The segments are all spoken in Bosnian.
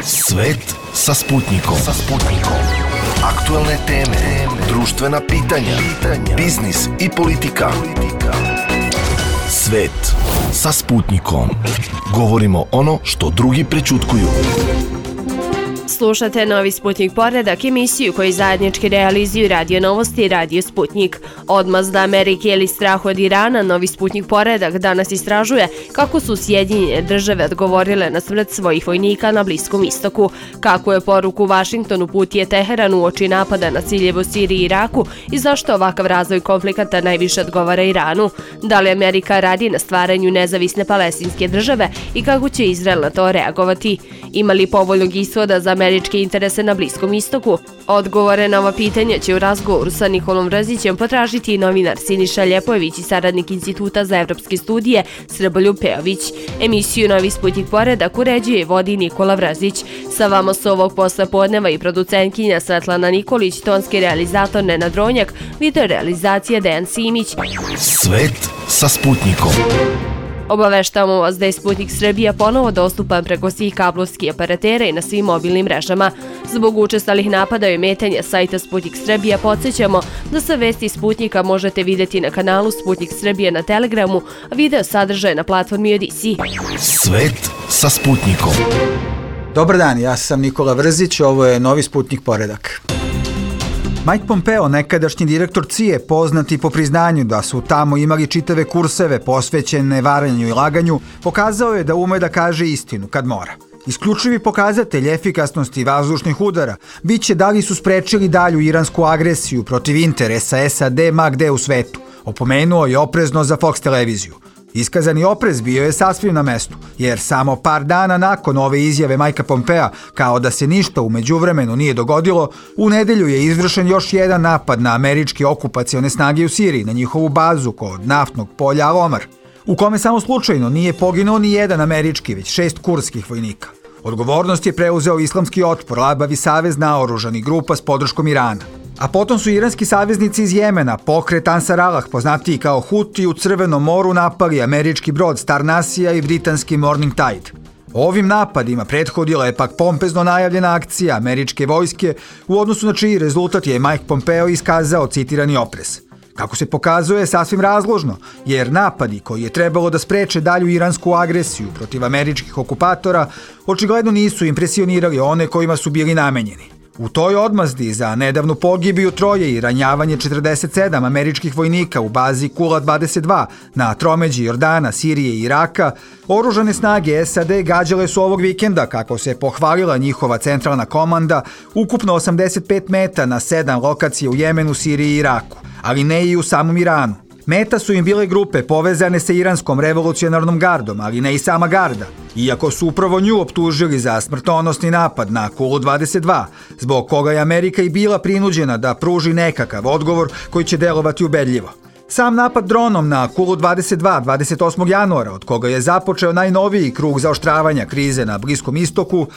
Svet sa Sputnikom. Aktuelne teme, društvena pitanja, biznis i politika. Svet sa Sputnikom. Govorimo ono što drugi prećutkuju. Slušate Novi Sputnik poredak, emisiju koju zajednički realizuju Radio Novosti i Radio Sputnik. Odmazda Amerike ili strah od Irana, Novi Sputnik poredak danas istražuje kako su Sjedinjene države odgovorile na smrt svojih vojnika na Bliskom istoku, kako je poruku Vašingtonu uputio Teheran uoči napada na ciljeve u Siriji i Iraku i zašto ovakav razvoj konflikata najviše odgovara Iranu, da li Amerika radi na stvaranju nezavisne palestinske države i kako će Izrael na to reagovati. Ima li povoljnog ishoda za američke interese na Bliskom istoku? Odgovore na ova pitanja će u razgovoru sa Nikolom Vrzićem potražiti i novinar Siniša Ljepojević i saradnik Instituta za evropske studije Srboljub Pejović. Emisiju Novi Sputnik poredak uređuje i vodi Nikola Vrzić. Sa vama su ovog posle podneva i producentkinja Svetlana Nikolić, tonski realizator Nenad Ronjak, video realizacija Dejan Simić. Svet sa Sputnikom. Obaveštavamo vas da je Sputnik Srbija ponovo dostupan preko svih kablovskih operatera i na svim mobilnim mrežama. Zbog učestalih napada i ometanja sajta Sputnik Srbija podsjećamo da sa vesti Sputnika možete vidjeti na kanalu Sputnik Srbija na Telegramu, a video sadržaje na platformi Odisi. Svet sa Sputnikom. Dobar dan, ja sam Nikola Vrzić, ovo je Novi Sputnik poredak. Mike Pompeo, nekadašnji direktor CIA, poznati po priznanju da su tamo imali čitave kurseve posvećene varanju i laganju, pokazao je da ume da kaže istinu kad mora. Isključivi pokazatelj efikasnosti vazdušnih udara biće da li su sprečili dalju iransku agresiju protiv interesa SAD ma gde u svetu, opomenuo je oprezno za Fox televiziju. Iskazani oprez bio je sasvim na mestu, jer samo par dana nakon ove izjave Majka Pompea, kao da se ništa u međuvremenu nije dogodilo, u nedelju je izvršen još jedan napad na američke okupacione snage u Siriji, na njihovu bazu kod naftnog polja Al-Omar, u kome samo slučajno nije poginuo ni jedan američki, već 6 kurdskih vojnika. Odgovornost je preuzeo Islamski otpor, labavi savez naoružanih grupa s podrškom Irana. A potom su iranski saveznici iz Jemena, pokret Ansar Allah, poznatiji kao Huti, u Crvenom moru napali američki brod Star Nasija i britanski Morning Tide. Ovim napadima prethodila je pak pompezno najavljena akcija američke vojske, u odnosu na čiji rezultat je Mike Pompeo iskazao citirani oprez. Kako se pokazuje, sasvim razložno, jer napadi koji je trebalo da spreče dalju iransku agresiju protiv američkih okupatora očigledno nisu impresionirali one kojima su bili namenjeni. U toj odmazdi za nedavnu pogibiju troje i ranjavanje 47 američkih vojnika u bazi Kula 22 na tromeđi Jordana, Sirije i Iraka, oružane snage SAD gađale su ovog vikenda, kako se pohvalila njihova centralna komanda, ukupno 85 meta na 7 lokacija u Jemenu, Siriji i Iraku, ali ne i u samom Iranu. Meta su im bile grupe povezane sa iranskom revolucionarnom gardom, ali ne i sama garda, iako su upravo nju optužili za smrtonosni napad na Kulu 22, zbog koga je Amerika i bila prinuđena da pruži nekakav odgovor koji će delovati ubedljivo. Sam napad dronom na Kulu 22 28. januara, od koga je započeo najnoviji krug zaoštravanja krize na Bliskom istoku,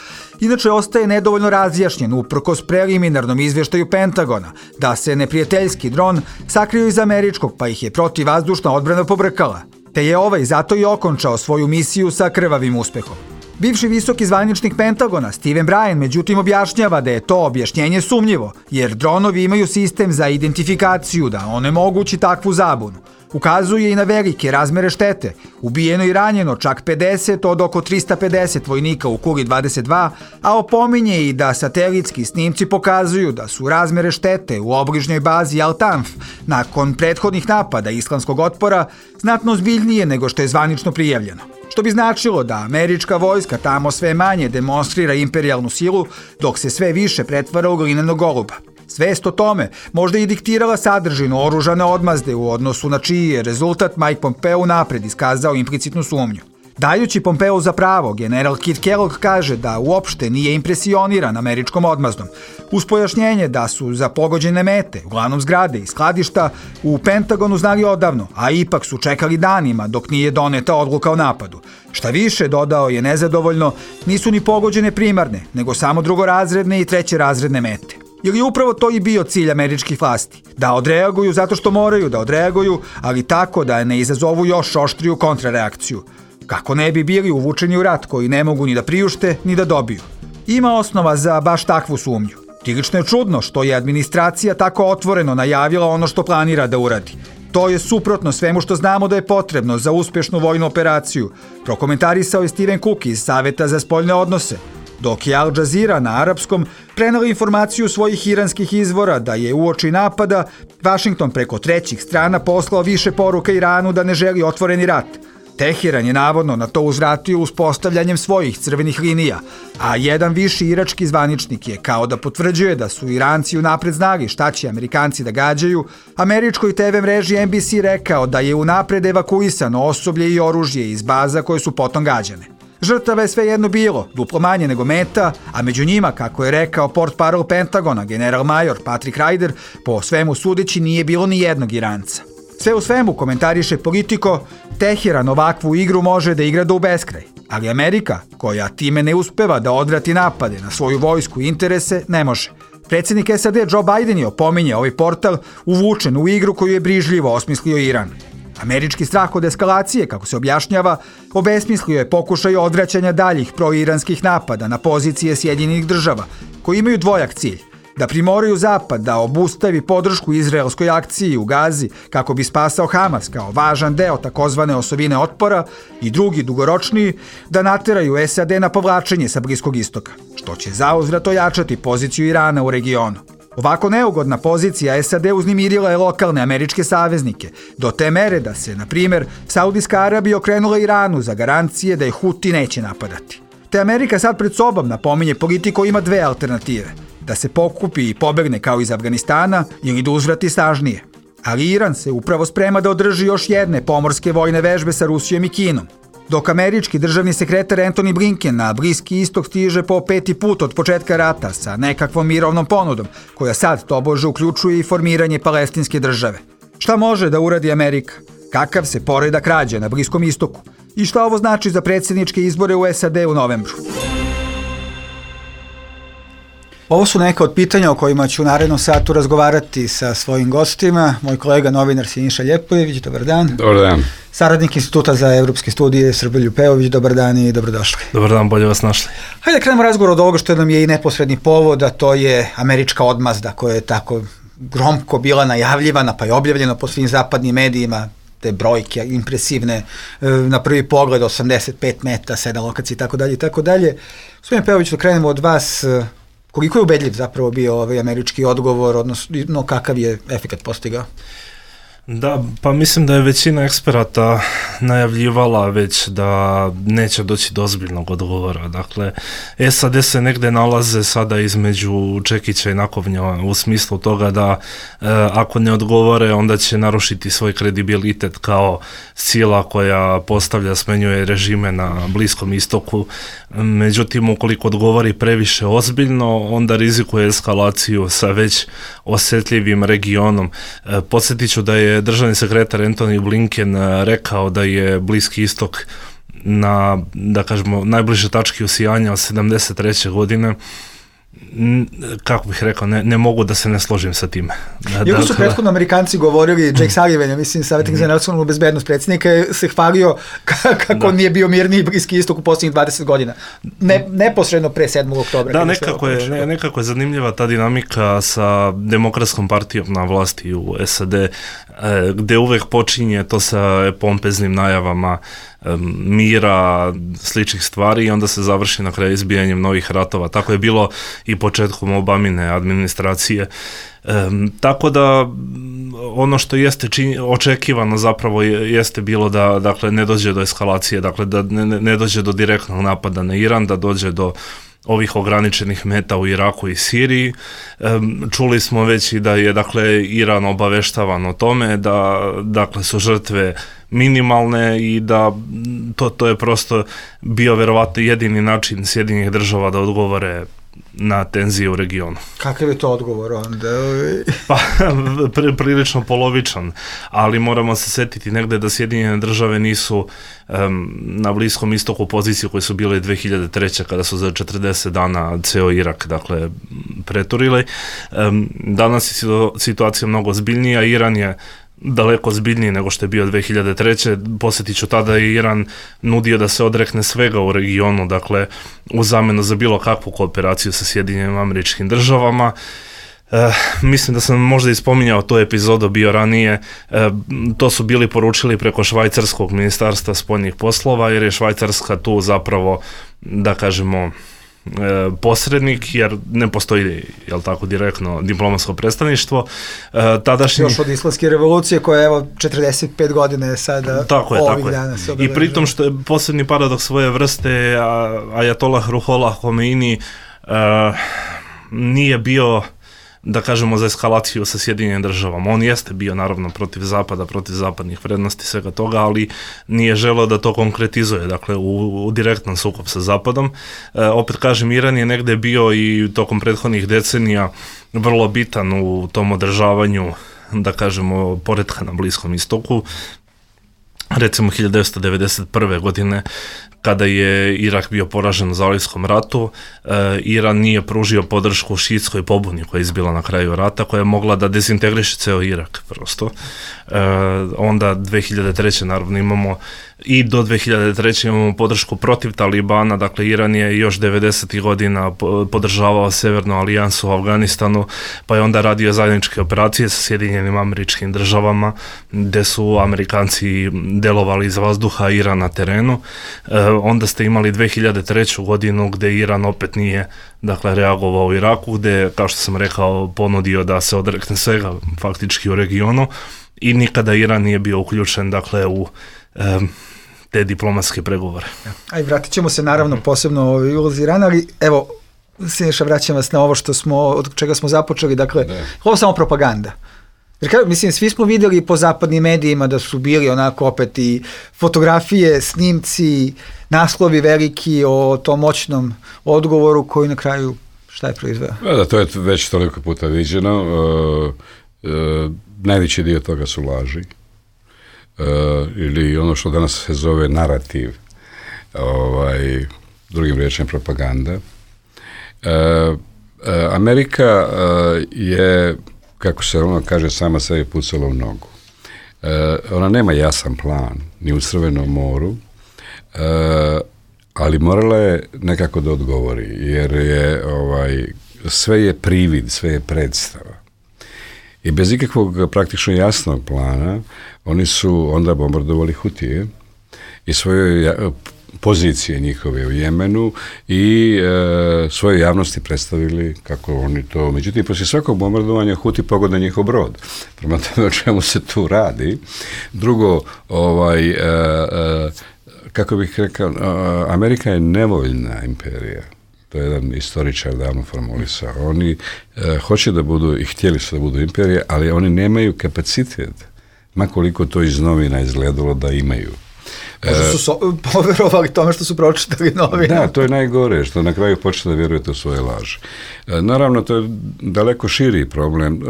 inače ostaje nedovoljno razjašnjen uprkos preliminarnom izvještaju Pentagona da se neprijateljski dron sakrio iz američkog, pa ih je protivvazdušna odbrana pobrkala, te je ovaj zato i okončao svoju misiju sa krvavim uspehom. Bivši visoki zvaničnik Pentagona, Steven Bryan, međutim objašnjava da je to objašnjenje sumnjivo, jer dronovi imaju sistem za identifikaciju da onemogući takvu zabunu. Ukazuje i na velike razmere štete, ubijeno i ranjeno čak 50 od oko 350 vojnika u Kuli 22, a opominje i da satelitski snimci pokazuju da su razmere štete u obližnjoj bazi Al-Tanf nakon prethodnih napada Islamskog otpora znatno ozbiljnije nego što je zvanično prijavljeno. Što bi značilo da američka vojska tamo sve manje demonstrira imperijalnu silu, dok se sve više pretvara u glinenog goluba. Svest o tome možda i diktirala sadržinu oružane odmazde u odnosu na čiji je rezultat Mike Pompeo napred iskazao implicitnu sumnju. Dajući Pompeo za pravo, general Kit Kellogg kaže da uopšte nije impresioniran američkom odmazdom, uz pojašnjenje da su za pogođene mete, uglavnom zgrade i skladišta, u Pentagonu znali odavno, a ipak su čekali danima dok nije doneta odluka o napadu. Šta više, dodao je nezadovoljno, nisu ni pogođene primarne, nego samo drugorazredne i trećerazredne mete. Ili upravo to i bio cilj američkih vlasti, da odreaguju zato što moraju da odreaguju, ali tako da ne izazovu još oštriju kontrareakciju, kako ne bi bili uvučeni u rat koji ne mogu ni da priušte ni da dobiju. Ima osnova za baš takvu sumnju. Prilično je čudno što je administracija tako otvoreno najavila ono što planira da uradi. To je suprotno svemu što znamo da je potrebno za uspješnu vojnu operaciju, prokomentarisao je Steven Cook iz Saveta za spoljne odnose, dok je Al Jazeera na arapskom prenela informaciju svojih iranskih izvora da je uoči napada Washington preko trećih strana poslao više poruka Iranu da ne želi otvoreni rat. Teheran je navodno na to uzvratio uspostavljanjem svojih crvenih linija, a jedan viši irački zvaničnik je kao da potvrđuje da su Iranci unapred znali šta će Amerikanci da gađaju, američkoj TV mreži NBC rekao da je unapred evakuisano osoblje i oružje iz baza koje su potom gađane. Žrtava je svejedno bilo, duplo manje nego meta, a među njima, kako je rekao portparol Pentagona, general major Patrick Ryder, po svemu sudeći nije bilo ni jednog Iranca. Sve u svemu, komentariše Politico, Teheran ovakvu igru može da igra do beskraj, ali Amerika, koja time ne uspeva da odvrati napade na svoju vojsku i interese, ne može. Predsjednik SAD Joe Biden je opominje ovaj portal uvučen u igru koju je brižljivo osmislio Iran. Američki strah od eskalacije, kako se objašnjava, obesmislio je pokušaj odvraćanja daljih proiranskih napada na pozicije Sjedinjenih država, koji imaju dvojak cilj: da primoraju Zapad da obustavi podršku izraelskoj akciji u Gazi kako bi spasao Hamas kao važan deo takozvane osovine otpora, i drugi, dugoročniji, da nateraju SAD na povlačenje sa Bliskog istoka, što će zauzvrat ojačati poziciju Irana u regionu. Ovako neugodna pozicija SAD uznemirila je lokalne američke saveznike, do te mere da se, na primjer, Saudijska Arabija okrenula Iranu za garancije da je Huti neće napadati. Te Amerika sad pred sobom, napominje Politico, ima dve alternative: da se pokupi i pobegne kao iz Afganistana ili da uzvrati snažnije. Ali Iran se upravo sprema da održi još jedne pomorske vojne vežbe sa Rusijom i Kinom. Dok američki državni sekretar Antony Blinken na Bliski istok stiže po 5. put od početka rata sa nekakvom mirovnom ponudom, koja sad tobože uključuje i formiranje palestinske države. Šta može da uradi Amerika? Kakav se poredak rađa na Bliskom istoku? I šta ovo znači za predsjedničke izbore u SAD u novembru? Ovo su neka od pitanja o kojima ću u narednom satu razgovarati sa svojim gostima. Moj kolega novinar Siniša Ljepojević, dobar dan. Dobar dan. Saradnik Instituta za evropske studije Srbe Ljupeović, dobar dan i dobrodošli. Dobar dan, bolje vas našli. Hajde da krenemo razgovor od ovoga što nam je i neposredni povod, a to je američka odmazda koja je tako gromko bila najavljivana, pa je objavljeno po svim zapadnim medijima, te brojke impresivne, na prvi pogled 85 meta, 7 lokacija i tako dalje. Gospodin Peović, da krenemo od vas, koliko je ubedljiv zapravo bio ovaj američki odgovor, odnosno kakav je efekat postigao? Da, pa mislim da je većina eksperata najavljivala već da neće doći do ozbiljnog odgovora. Dakle, SAD se negde nalaze sada između čekića i nakovnja u smislu toga da ako ne odgovore, onda će narušiti svoj kredibilitet kao sila koja postavlja, smenjuje režime na Bliskom istoku. Međutim, ukoliko odgovori previše ozbiljno, onda rizikuje eskalaciju sa već osjetljivim regionom. Podsjetit ću da je državni sekretar Antony Blinken rekao da je Bliski istok na, da kažemo, najbliže tački usijanja od 73. godine. Kako bih rekao, ne mogu da se ne složim sa time. Iako su prethodno Amerikanci govorili, Jake Sullivan, ja mislim, savjetnik za nacionalnu bezbednost predsjednika, se hvalio kako nije bio mirniji Bliski istok u posljednjih 20 godina. Neposredno pre 7. oktobra. Da, nekako je zanimljiva ta dinamika sa Demokratskom partijom na vlasti u SAD, gde uvek počinje to sa pompeznim najavama mira, sličnih stvari, i onda se završi na kraju izbijanjem novih ratova. Tako je bilo i početkom Obamine administracije. Tako da ono što jeste očekivano zapravo jeste bilo da, dakle, ne dođe do eskalacije, dakle da ne dođe do direktnog napada na Iran, da dođe do ovih ograničenih meta u Iraku i Siriji. Čuli smo već i da je, dakle, Iran obaveštavan o tome da, dakle, su žrtve minimalne i da to je prosto bio verovatno jedini način Sjedinjenih država da odgovore na tenzije u regionu. Kakav je to odgovor onda? Pa, prilično polovičan, ali moramo se setiti negde da Sjedinjene države nisu na Bliskom istoku u poziciji koje su bile 2003. kada su za 40 dana ceo Irak, dakle, preturili. Danas je situacija mnogo ozbiljnija. Iran je daleko zbiljniji nego što je bio 2003. Posjetit ću, tada je Iran nudio da se odrekne svega u regionu, dakle u zamjenu za bilo kakvu kooperaciju sa Sjedinjenim Američkim Državama. Mislim da sam možda i spominjao tu epizodu bio ranije, to su bili poručili preko švajcarskog ministarstva spoljnih poslova, jer je Švajcarska tu zapravo, da kažemo, posrednik, jer ne postoji, jel tako, direktno diplomatsko predstavništvo. Još od Islamske revolucije koja je 45 godina je sada ovih dana se obeležava. I pritom što je posebni paradoks svoje vrste, Ajatollah Ruhollah Khomeini nije bio, da kažemo, za eskalaciju sa Sjedinjenim Državama. On jeste bio naravno protiv Zapada, protiv zapadnih vrednosti, svega toga, ali nije želeo da to konkretizuje, dakle u direktnom sukob sa Zapadom. Opet kažem, Iran je negde bio i tokom prethodnih decenija vrlo bitan u tom održavanju, da kažemo, poretka na Bliskom istoku. Recimo 1991. godine, kada je Irak bio poražen u Zalivskom ratu, Iran nije pružio podršku šiitskoj pobuni koja je izbila na kraju rata, koja je mogla da dezintegriše ceo Irak prosto. Onda 2003. naravno imamo i do 2003. imamo podršku protiv Talibana, dakle Iran je još 90. godina podržavao Severnu alijansu u Afganistanu, pa je onda radio zajedničke operacije sa Sjedinjenim Američkim Državama, gde su Amerikanci delovali iz vazduha, Iran na terenu. Onda ste imali 2003. godinu gde Iran opet nije, dakle, reagovao u Iraku, gde, kao što sam rekao, ponudio da se odrekne svega faktički u regionu i nikada Iran nije bio uključen, dakle, u te diplomatske pregovore. A i vratit ćemo se naravno posebno u ulozi Irana, ali evo, Siniša, vraćam vas na ovo od čega smo započeli, dakle, ovo je samo propaganda. Jer, mislim, svi smo vidjeli po zapadnim medijima da su bili onako opet i fotografije, snimci, naslovi veliki o tom moćnom odgovoru koji na kraju šta je proizveo? Da, to je već toliko puta viđeno. Najveći dio toga su laži. Ili ono što danas se zove narativ, drugim riječem propaganda. Amerika je, kako se ono kaže, sama sebi pucala u nogu. Ona nema jasan plan, ni u Crvenom moru, ali morala je nekako da odgovori, jer je sve je privid, sve je predstava. I bez ikakvog praktično jasnog plana oni su onda bombardovali Hutije i svoje pozicije njihove u Jemenu i svoje javnosti predstavili kako oni to. Međutim, poslije svakog bombardovanja Huti pogode njihov brod. Prema tome o čemu se tu radi. Drugo, kako bih rekao, Amerika je nevoljna imperija. To je jedan istoričar davno formulisao. Oni hoće da budu i htjeli su da budu imperije, ali oni nemaju kapacitet, makoliko to iz novina izgledalo da imaju. Možda su poverovali tome što su pročitali novine. Da, to je najgore, što na kraju počne da vjerujete u svoje laži. Naravno, to je daleko širi problem.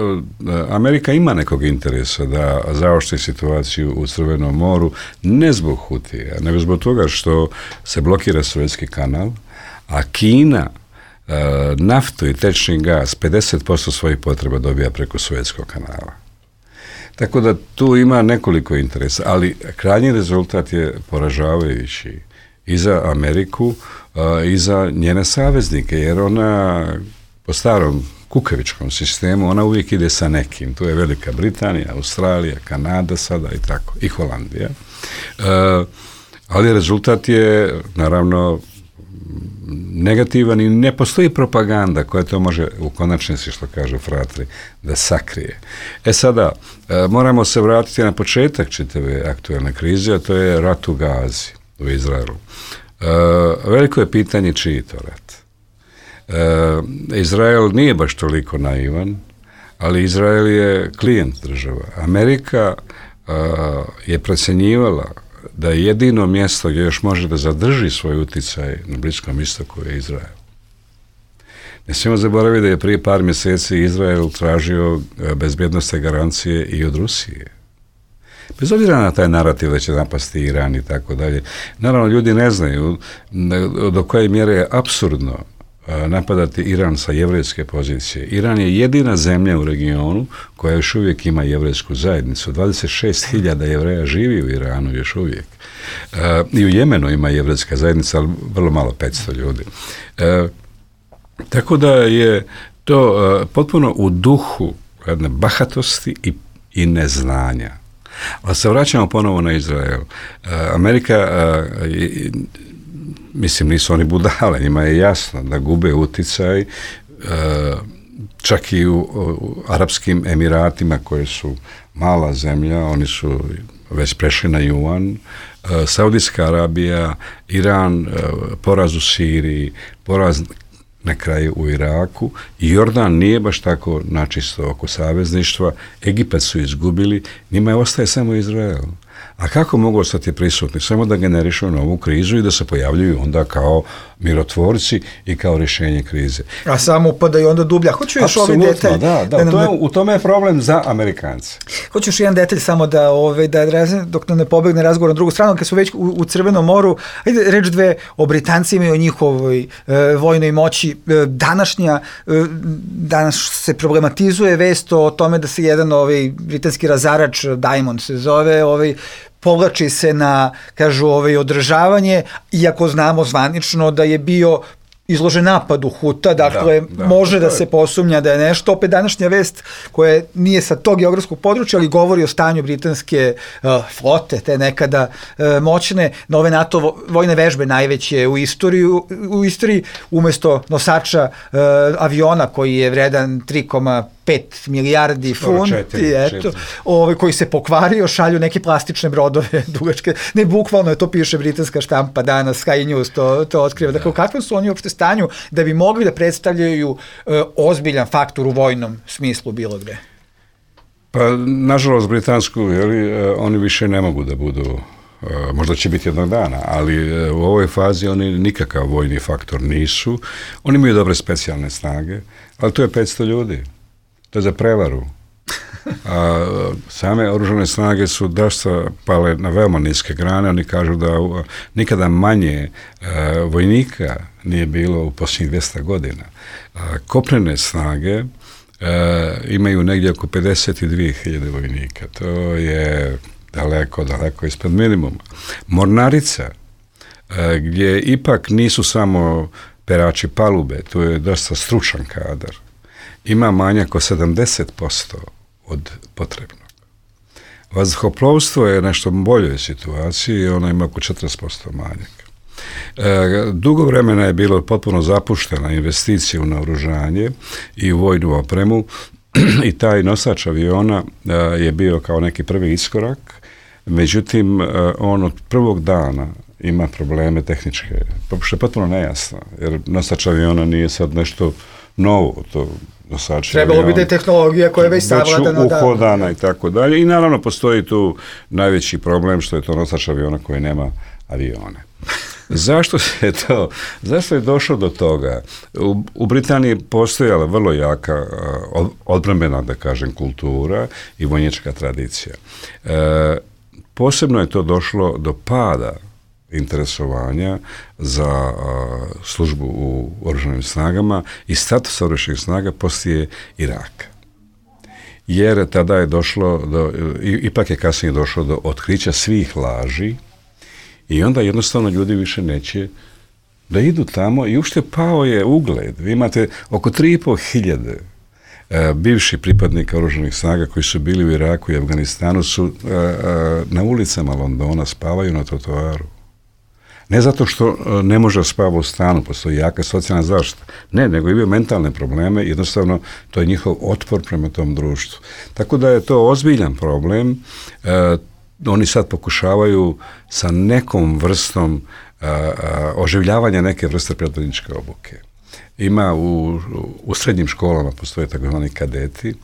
Amerika ima nekog interesa da zaoštri situaciju u Crvenom moru, ne zbog Hutija, nego zbog toga što se blokira Suezki kanal, a Kina naftu i tečni gas 50% svojih potreba dobija preko Suezkog kanala. Tako da tu ima nekoliko interesa, ali krajnji rezultat je poražavajući i za Ameriku i za njene saveznike, jer ona po starom kukavičkom sistemu, ona uvijek ide sa nekim. Tu je Velika Britanija, Australija, Kanada sada i tako, i Holandija. Ali rezultat je, naravno, negativan i ne postoji propaganda koja to može u konačnici, što kažu fratri, da sakrije. Sada, moramo se vratiti na početak čitave aktualne krize, a to je rat u Gazi, u Izraelu. Veliko je pitanje čiji to rat. Izrael nije baš toliko naivan, ali Izrael je klijent država. Amerika je procjenjivala da je jedino mjesto gdje još može da zadrži svoj utjecaj na Bliskom istoku je Izrael. Ne smijemo zaboraviti da je prije par mjeseci Izrael tražio bezbjednostne garancije i od Rusije. Bez obzira na taj narativ da će napasti Iran i tako dalje. Naravno, ljudi ne znaju do koje mjere je apsurdno napadati Iran sa jevrejske pozicije. Iran je jedina zemlja u regionu koja još uvijek ima jevrejsku zajednicu. 26.000 jevreja živi u Iranu još uvijek. I u Jemenu ima jevrejska zajednica, ali vrlo malo, 500 ljudi. Tako da je to potpuno u duhu jedne bahatosti i neznanja. Ali se vraćamo ponovo na Izrael. Amerika, mislim, nisu oni budale, njima je jasno da gube uticaj, čak i u Arapskim Emiratima, koje su mala zemlja, oni su već prešli na juan, Saudijska Arabija, Iran, poraz u Siriji, poraz na kraju u Iraku, i Jordan nije baš tako načisto oko savezništva, Egipat su izgubili, njima je ostaje samo Izrael. A kako mogu ostati prisutni? Samo da generišu novu krizu i da se pojavljuju onda kao mirotvorci i kao rješenje krize. A samo upadaju onda dublja. Hoću još ovaj detalj. Da, u tome je problem za Amerikance. Hoću još jedan detalj samo da dok ne pobegne razgovor na drugu stranu, kad su već u Crvenom moru, ajde reč dve o Britancima i o njihovoj vojnoj moći. Danas se problematizuje vest o tome da se jedan britanski razarač, Diamond se zove, povlači se na, kažu, održavanje, iako znamo zvanično da je bio izložen napadu Huta, dakle, može da se posumnja da je nešto. Opet današnja vest koja nije sa tog geografskog područja, ali govori o stanju britanske flote, te nekada moćne, nove NATO vojne vežbe najveće u istoriji, umjesto nosača aviona koji je vredan 3,5 milijardi funti, koji se pokvario, šalju neke plastične brodove dugačke. Ne, bukvalno je, to piše britanska štampa danas, Sky News to otkriva. Dakle, u kakvom su oni uopšte stanju da bi mogli da predstavljaju ozbiljan faktor u vojnom smislu bilo gde? Pa, nažalost, britansku, oni više ne mogu da budu, možda će biti jednog dana, ali u ovoj fazi oni nikakav vojni faktor nisu. Oni imaju dobre specijalne snage, ali to je 500 ljudi. To je za prevaru. A same oružane snage su dosta pale na veoma niske grane. Oni kažu da nikada manje vojnika nije bilo u posljednjih 200 godina. Kopnene snage imaju negdje oko 52.000 vojnika. To je daleko ispred minimuma. Mornarica, gdje ipak nisu samo perači palube, tu je dosta stručan kadar, ima manjak od 70% od potrebnog. Vazduhoplovstvo je nešto boljoj situaciji, ona ima oko 40% manjak. Dugo vremena je bilo potpuno zapuštena investicija u naoružanje i u vojnu opremu i taj nosač aviona je bio kao neki prvi iskorak, međutim on od prvog dana ima probleme tehničke, što je potpuno nejasno, jer nosač aviona nije sad nešto novo, to nosač trebalo bi da je tehnologija koja je već savladana, uhodana i tako dalje, i naravno postoji tu najveći problem što je to nosač aviona koji nema avione. Zašto je došlo do toga? U Britaniji postojala vrlo jaka odbrambena, da kažem, kultura i vojnička tradicija. Posebno je to došlo do pada interesovanja za službu u oružanim snagama i status oružanih snaga poslije Iraka. Jer tada je došlo ipak je kasnije došlo do otkrića svih laži i onda jednostavno ljudi više neće da idu tamo i uopšte pao je ugled. Vi imate oko 3.500 bivših pripadnika oružanih snaga koji su bili u Iraku i Afganistanu su na ulicama Londona, spavaju na trotoaru. Ne zato što ne može spavati u stanu, postoji jaka socijalna zaštita. Ne, nego imaju mentalne probleme, jednostavno to je njihov otpor prema tom društvu. Tako da je to ozbiljan problem. Oni sad pokušavaju sa nekom vrstom oživljavanja neke vrste pripadničke obuke. Ima u srednjim školama postoje takozvani kadeti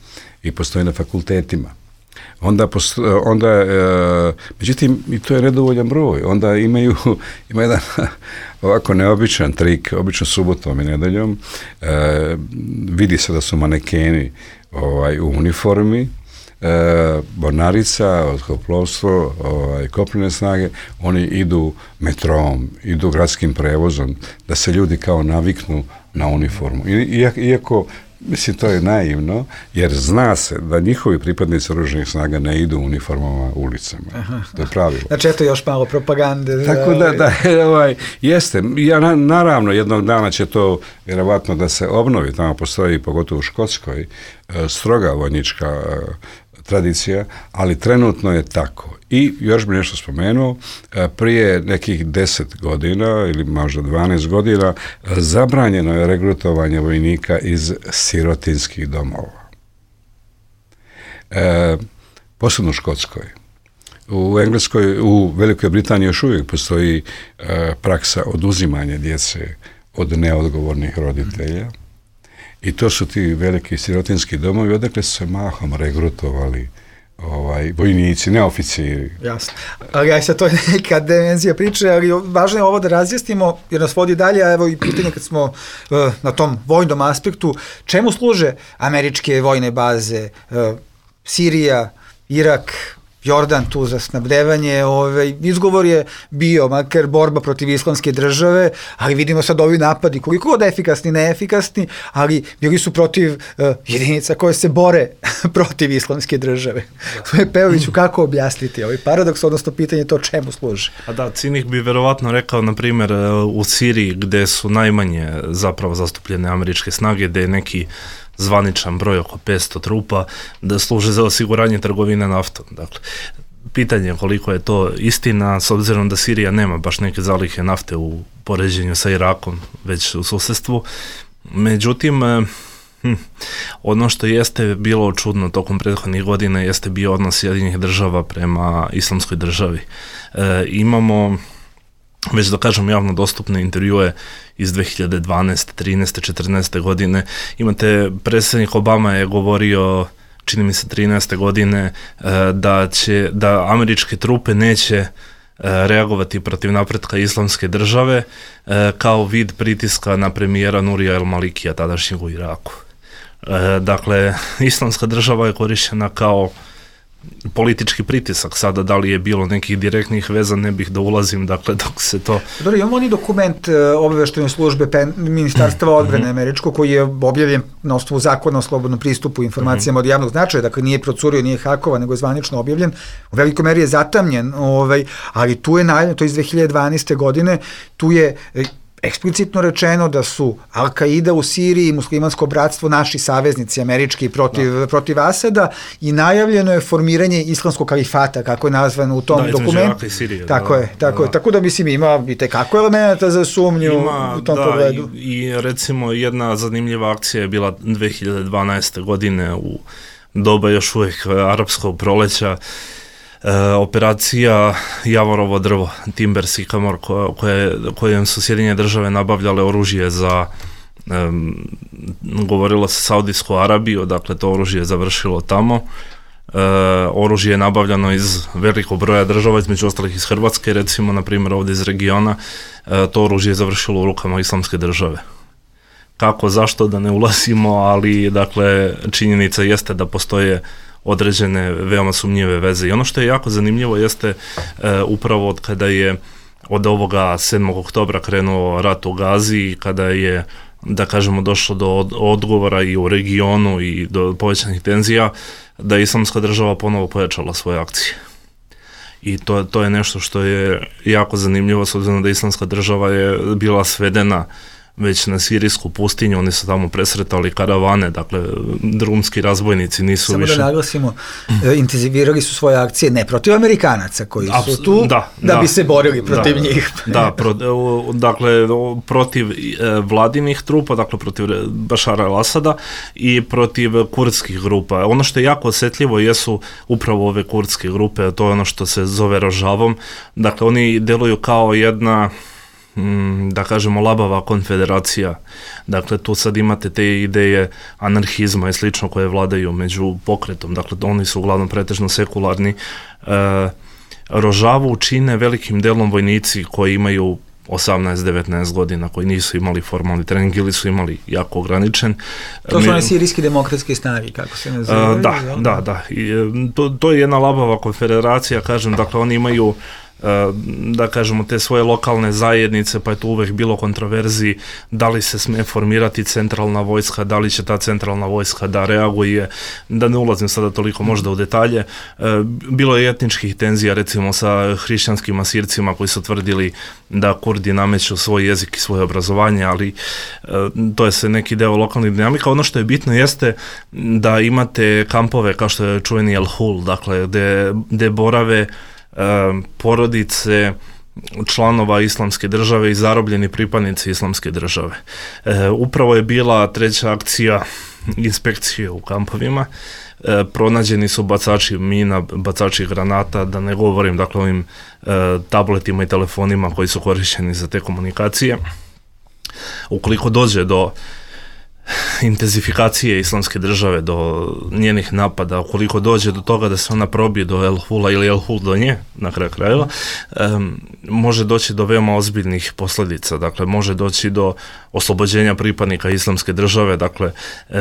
i postoje na fakultetima. Međutim, i to je nedovoljan broj. Onda ima jedan ovako neobičan trik, obično subotom i nedeljom, vidi se da su manekeni u uniformi, mornarica, otkoplovstvo, kopnene snage, oni idu metrom, idu gradskim prevozom, da se ljudi kao naviknu na uniformu. Iako, mislim, to je naivno, jer zna se da njihovi pripadnici oružanih snaga ne idu u uniformama ulicama. To je pravilo. Znači, eto još malo propagande. Tako da jeste. Naravno, jednog dana će to vjerovatno da se obnovi. Tamo postoji, pogotovo u Škotskoj, stroga vojnička tradicija, ali trenutno je tako. I još bi nešto spomenuo, prije nekih 10 godina ili možda 12 godina zabranjeno je regrutovanje vojnika iz sirotinskih domova. Posebno u Škotskoj. U Engleskoj, u Velikoj Britaniji još uvijek postoji praksa oduzimanja djece od neodgovornih roditelja. I to su ti veliki sirotinski domovi, odakle su se mahom regrutovali vojnici, ne oficiri. Jasno. Ali sad to je neka dimenzija priče, ali važno je ovo da razjasnimo, jer nas vodi dalje, a evo i pitanje kad smo na tom vojnom aspektu, čemu služe američke vojne baze, Sirija, Irak, Jordan tu za snabdevanje, izgovor je bio makar borba protiv islamske države, ali vidimo sad ovi napadi, koliko god efikasni, neefikasni, ali bili su protiv jedinica koje se bore protiv islamske države. Svoje Pejoviću, kako objasniti ovaj paradoks, odnosno pitanje to čemu služi? A da, cinik bi verovatno rekao, na primjer, u Siriji, gde su najmanje zapravo zastupljene američke snage, gde je neki zvaničan broj oko 500 trupa, da služe za osiguranje trgovine naftom. Dakle, pitanje je koliko je to istina, s obzirom da Sirija nema baš neke zalihe nafte u poređenju sa Irakom, već u susjedstvu. Međutim, ono što jeste bilo čudno tokom prethodnih godina jeste bio odnos Sjedinjenih država prema islamskoj državi. Imamo već da kažem javno dostupne intervjue iz 2012. 13. 14. godine. Imate, predsjednik Obama je govorio, čini mi se 13. godine, da američke trupe neće reagovati protiv napretka islamske države kao vid pritiska na premijera Nurija el-Malikija, tadašnjeg u Iraku. Dakle, islamska država je korišćena kao politički pritisak. Sada, da li je bilo nekih direktnih veza, ne bih da ulazim, dakle, dok se to... Dobro, imamo oni dokument obavještajne službe Ministarstva odbrane američko, koji je objavljen na osnovu zakona o slobodnom pristupu informacijama od javnog značaja, dakle nije procurio, nije hakovan, nego je zvanično objavljen. U velikoj meri je zatamljen, ali tu je najavljeno, to iz 2012. godine, tu je eksplicitno rečeno da su Al-Qaida u Siriji i muslimansko bratstvo naši saveznici američki protiv Asada i najavljeno je formiranje islamskog kalifata, kako je nazvano u tom dokumentu. Tako da mislim ima i tekako elementa za sumnju u tom pogledu. I recimo jedna zanimljiva akcija je bila 2012. godine u doba još uvijek arapskog proleća, operacija Javorovo drvo, Timber Sycamore, kojem su Sjedinjene države nabavljale oružje za, govorilo se Saudijsku Arabiju, dakle to oružje je završilo tamo. Oružje je nabavljano iz velikog broja država, između ostalih iz Hrvatske, recimo, na primjer ovdje iz regiona, to oružje je završilo u rukama islamske države. Kako, zašto, da ne ulazimo, ali dakle činjenica jeste da postoje određene veoma sumnjive veze. I ono što je jako zanimljivo jeste upravo od kada je od ovoga 7. oktobra krenuo rat u Gazi, kada je, da kažemo, došlo do odgovora i u regionu i do povećanih tenzija, da je islamska država ponovo pojačala svoje akcije. I to je nešto što je jako zanimljivo, s obzirom da islamska država je bila svedena već na sirijsku pustinju, oni su tamo presretali karavane, dakle drumski razbojnici nisu više... Samo da naglasimo, intenzivirali su svoje akcije ne protiv Amerikanaca koji su tu, da bi se borili protiv njih. Dakle, protiv vladinih trupa, dakle protiv Bašara el-Asada i protiv kurdskih grupa. Ono što je jako osjetljivo jesu upravo ove kurdske grupe, to je ono što se zove Rožavom. Dakle, oni deluju kao jedna, da kažemo, labava konfederacija. Dakle, tu sad imate te ideje anarhizma i slično koje vladaju među pokretom. Dakle, oni su uglavnom pretežno sekularni. Rožavu čine velikim delom vojnici koji imaju 18-19 godina, koji nisu imali formalni trening ili su imali jako ograničen. To su one sirijski demokratske snage, kako se nazivaju? Da. I, to je jedna labava konfederacija, kažem, dakle oni imaju da kažemo te svoje lokalne zajednice, pa je tu uvek bilo kontroverziji da li se sme formirati centralna vojska, da li će ta centralna vojska da reaguje, da ne ulazim sada toliko možda u detalje. Bilo je etničkih tenzija recimo sa hrišćanskim Asircima koji su tvrdili da Kurdi nameću svoj jezik i svoje obrazovanje, ali to je sve neki deo lokalnih dinamika. Ono što je bitno jeste da imate kampove kao što je čuveni El Hul, dakle gde borave porodice članova Islamske države i zarobljeni pripadnici Islamske države. Upravo je bila treća akcija inspekcije u kampovima. Pronađeni su bacači mina, bacači granata, da ne govorim dakle o ovim tabletima i telefonima koji su korišćeni za te komunikacije. Ukoliko dođe do intenzifikacije Islamske države, do njenih napada, ukoliko dođe do toga da se ona probije do El Hula ili El Hul do nje, na kraju krajeva, može doći do veoma ozbiljnih posljedica. Dakle, može doći do oslobođenja pripadnika Islamske države, dakle,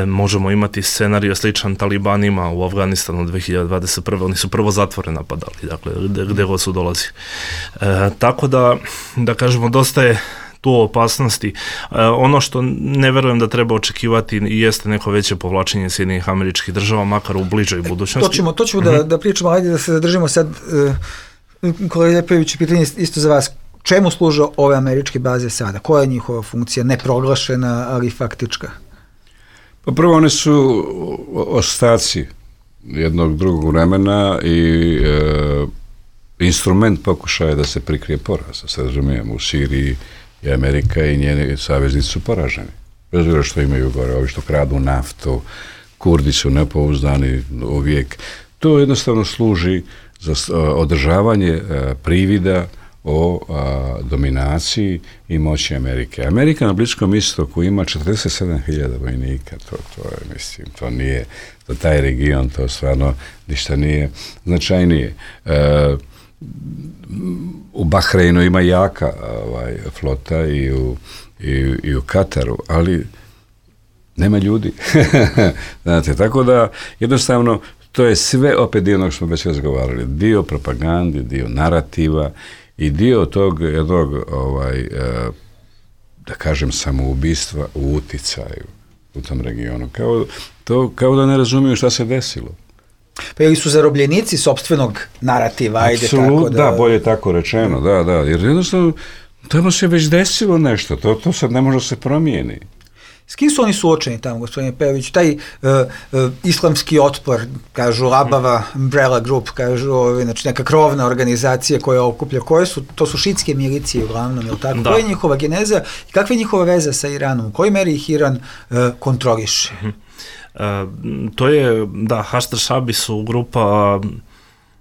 možemo imati scenario sličan talibanima u Afganistanu 2021. Oni su prvo zatvore napadali, dakle, gde god su dolazi. Tako da kažemo, dosta je tu opasnosti. Ono što ne verujem da treba očekivati jeste neko veće povlačenje Sjedinjenih Američkih Država, makar u bližoj budućnosti. To ćemo da pričamo, ajde da se zadržimo sad, kolega Ljepojević, pitanje isto za vas. Čemu služe ove američke baze sada? Koja je njihova funkcija? Neproglašena, ali faktička. Pa prvo, one su ostaci jednog drugog vremena i instrument pokušaja da se prikrije poraz. Sad razumijemo, u Siriji i Amerika i njeni saveznici su poraženi. Bez obzira što imaju gore, ovi što kradu naftu, Kurdi su nepouzdani uvijek. To jednostavno služi za održavanje privida o dominaciji i moći Amerike. Amerika na Bliskom istoku ima 47.000 vojnika, to je, mislim, to nije, za taj region to stvarno ništa nije značajnije. U Bahreinu ima jaka flota i u Kataru, ali nema ljudi. Znate, tako da jednostavno to je sve opet dio onog što smo već razgovarali. Dio propagande, dio narativa i dio tog jednog, da kažem, samoubistva u uticaju u tom regionu. Kao da ne razumiju šta se desilo. Pa ili su zarobljenici sopstvenog narativa, ajde tako da... Da, bolje tako rečeno, da, jer jednostavno tamo se već desilo nešto, to sad ne može se promijeni. S kim su oni suočeni tamo, gospodine Pejović? Taj islamski otpor, kažu Labava, Umbrella Group, kažu, znači neka krovna organizacija koja okuplja, to su šitske milicije uglavnom, je li tako? Koja je njihova geneza i kakva je njihova veza sa Iranom? U kojoj meri ih Iran kontroliše? To je, da, Haštar Šabi su grupa,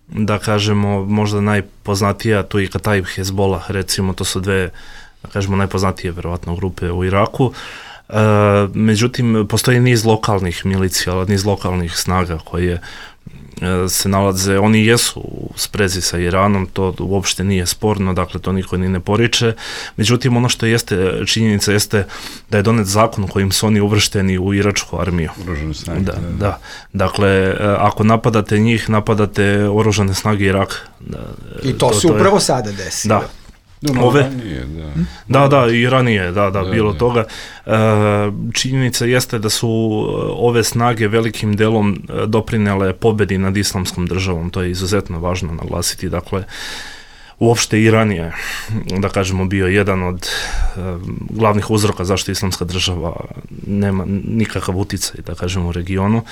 da kažemo, možda najpoznatija, tu i Kataib Hezbollah, recimo, to su dve, da kažemo, najpoznatije, verovatno, grupe u Iraku. Međutim, postoji niz lokalnih milicija, niz lokalnih snaga koje se nalaze, oni jesu u sprezi sa Iranom, to uopšte nije sporno, dakle to niko ni ne poriče. Međutim, ono što jeste činjenica jeste da je donet zakon kojim su oni uvršteni u iračku armiju. Oružane snage. Da. Dakle, ako napadate njih, napadate oružane snage Iraka. I to se upravo sada desi. Da. I ranije, bilo toga. Činjenica jeste da su ove snage velikim delom doprinele pobedi nad Islamskom državom, to je izuzetno važno naglasiti. Dakle, uopšte Iran je, da kažemo, bio jedan od glavnih uzroka zašto Islamska država nema nikakav uticaj, da kažemo, u regionu.